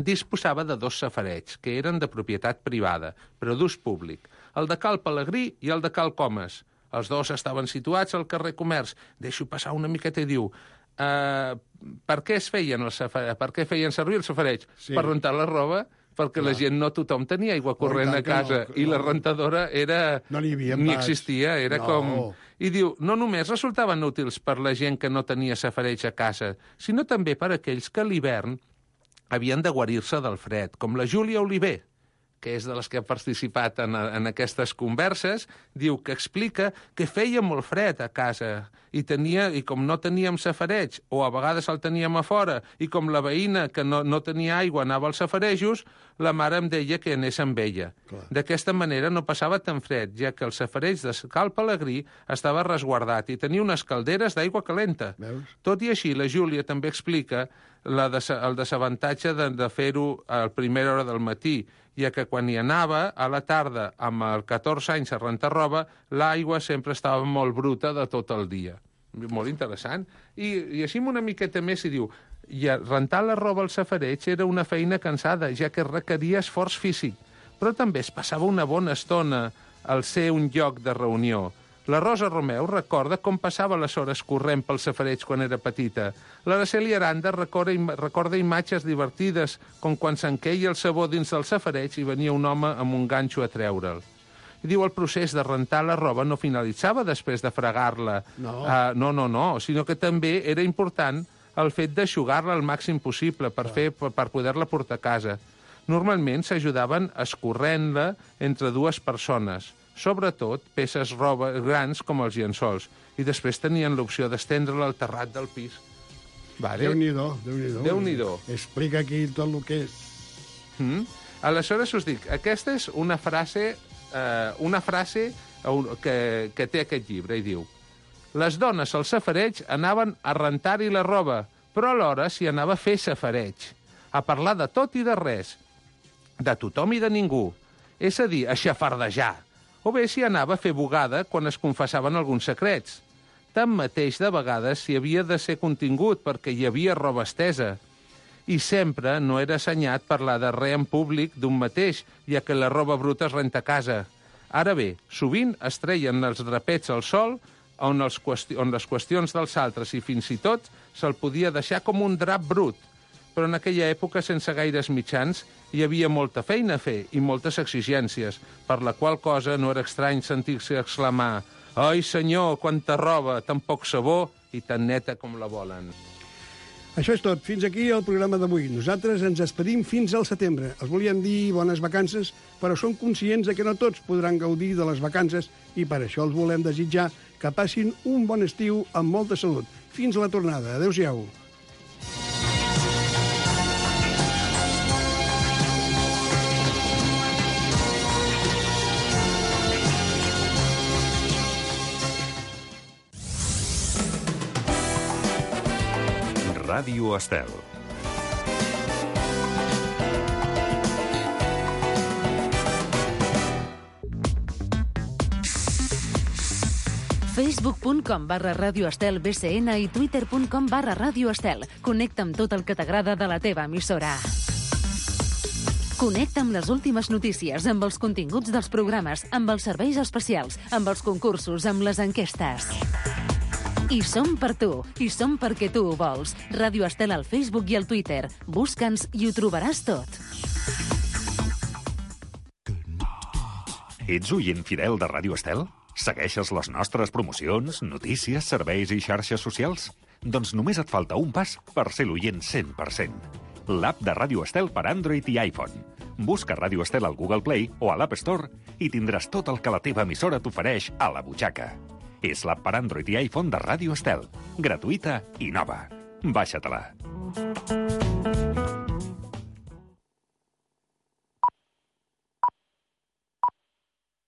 disposava de dos safareigs, que eren de propietat privada, però d'ús públic. El de Cal Pelegrí i el de Cal Comes. Els dos estaven situats al carrer Comerç. Deixo passar una miqueta i diu uh, per què es feien els safareigs? Per què feien servir el safareig? Sí. Per rentar la roba, perquè Clar. La gent no tothom tenia aigua corrent oh, a casa no, i no. la rentadora era no n'hi havia ni pas. existia, era no. com... I diu, no només resultaven útils per la gent que no tenia safareig a casa, sinó també per aquells que a l'hivern havien de guarir-se del fred, com la Júlia Oliver, que és de les que ha participat en, en aquestes converses, diu que explica que feia molt fred a casa i, tenia, i com no teníem safareig, o a vegades el teníem a fora, i com la veïna que no, no tenia aigua anava als safarejos, la mare em deia que anés amb ella. D'aquesta manera no passava tan fred, ja que el safareig de Cal Pelegrí estava resguardat i tenia unes calderes d'aigua calenta. Veus? Tot i així, la Júlia també explica la des el desavantatge de, de fer-ho a la primera hora del matí, ja que quan hi anava, a la tarda, amb el catorze anys a rentar roba, l'aigua sempre estava molt bruta de tot el dia. Molt interessant. I, i així una miqueta més i diu, i rentar la roba al safareig era una feina cansada, ja que requeria esforç físic, però també es passava una bona estona al ser un lloc de reunió. La Rosa Romeu recorda com passava les hores corrent pel safareig quan era petita. L'Araceli Aranda recorda, im recorda imatges divertides, com quan s'enqueia el sabó dins del safareig i venia un home amb un ganxo a treure'l. I diu, el procés de rentar la roba no finalitzava després de fregar-la. No. Uh, no, no, no, sinó que també era important el fet d'aixugar-la al màxim possible per, fer, per, per poder-la portar a casa. Normalment s'ajudaven escorrent-la entre dues persones, sobretot peces roba grans com els llençols, i després tenien l'opció d'estendre-la al terrat del pis. Vale. Déu-n'hi-do, Déu-n'hi-do. Déu-n'hi-do. Explica aquí tot el que és. Mm? Aleshores us dic, aquesta és una frase, eh, una frase que, que té aquest llibre, i diu: les dones al safareig anaven a rentar-hi la roba, però alhora s'hi anava a fer safareig, a parlar de tot i de res, de tothom i de ningú, és a dir, a xafardejar, o bé s'hi anava a fer bugada quan es confessaven alguns secrets. Tanmateix, de vegades s'hi havia de ser contingut perquè hi havia roba estesa, i sempre no era assenyat parlar de res en públic d'un mateix, ja que la roba bruta es renta a casa. Ara bé, sovint es treien els drapets al sol, on, els on les qüestions dels altres i fins i tot se'l podia deixar com un drap brut. Però en aquella època, sense gaires mitjans, hi havia molta feina a fer i moltes exigències, per la qual cosa no era estrany sentir-se exclamar: «Ai, senyor, quanta roba, tan poc sabó i tan neta com la volen». Això és tot. Fins aquí el programa d'avui. Nosaltres ens despedim fins al setembre. Els volíem dir bones vacances, però som conscients de que no tots podran gaudir de les vacances i per això els volem desitjar que passin un bon estiu amb molta salut. Fins a la tornada. Adéu-siau. Ràdio Estel. facebook punt com barra Ràdio Estel B C N i twitter punt com barra Ràdio Estel. Connecta amb tot el que t'agrada de la teva emissora. Connecta amb les últimes notícies, amb els continguts dels programes, amb els serveis especials, amb els concursos, amb les enquestes. I som per tu, i som perquè tu ho vols. Ràdio Estel al Facebook i al Twitter. Busca'ns i ho trobaràs tot. Ets oient fidel de Ràdio Estel? Segueixes les nostres promocions, notícies, serveis i xarxes socials? Doncs només et falta un pas per ser l'oient cent per cent. L'app de Ràdio Estel per Android i iPhone. Busca Ràdio Estel al Google Play o a l'App Store i tindràs tot el que la teva emissora t'ofereix a la butxaca. És l'app per Android i iPhone de Ràdio Estel. Gratuïta i nova. Baixa-te-la.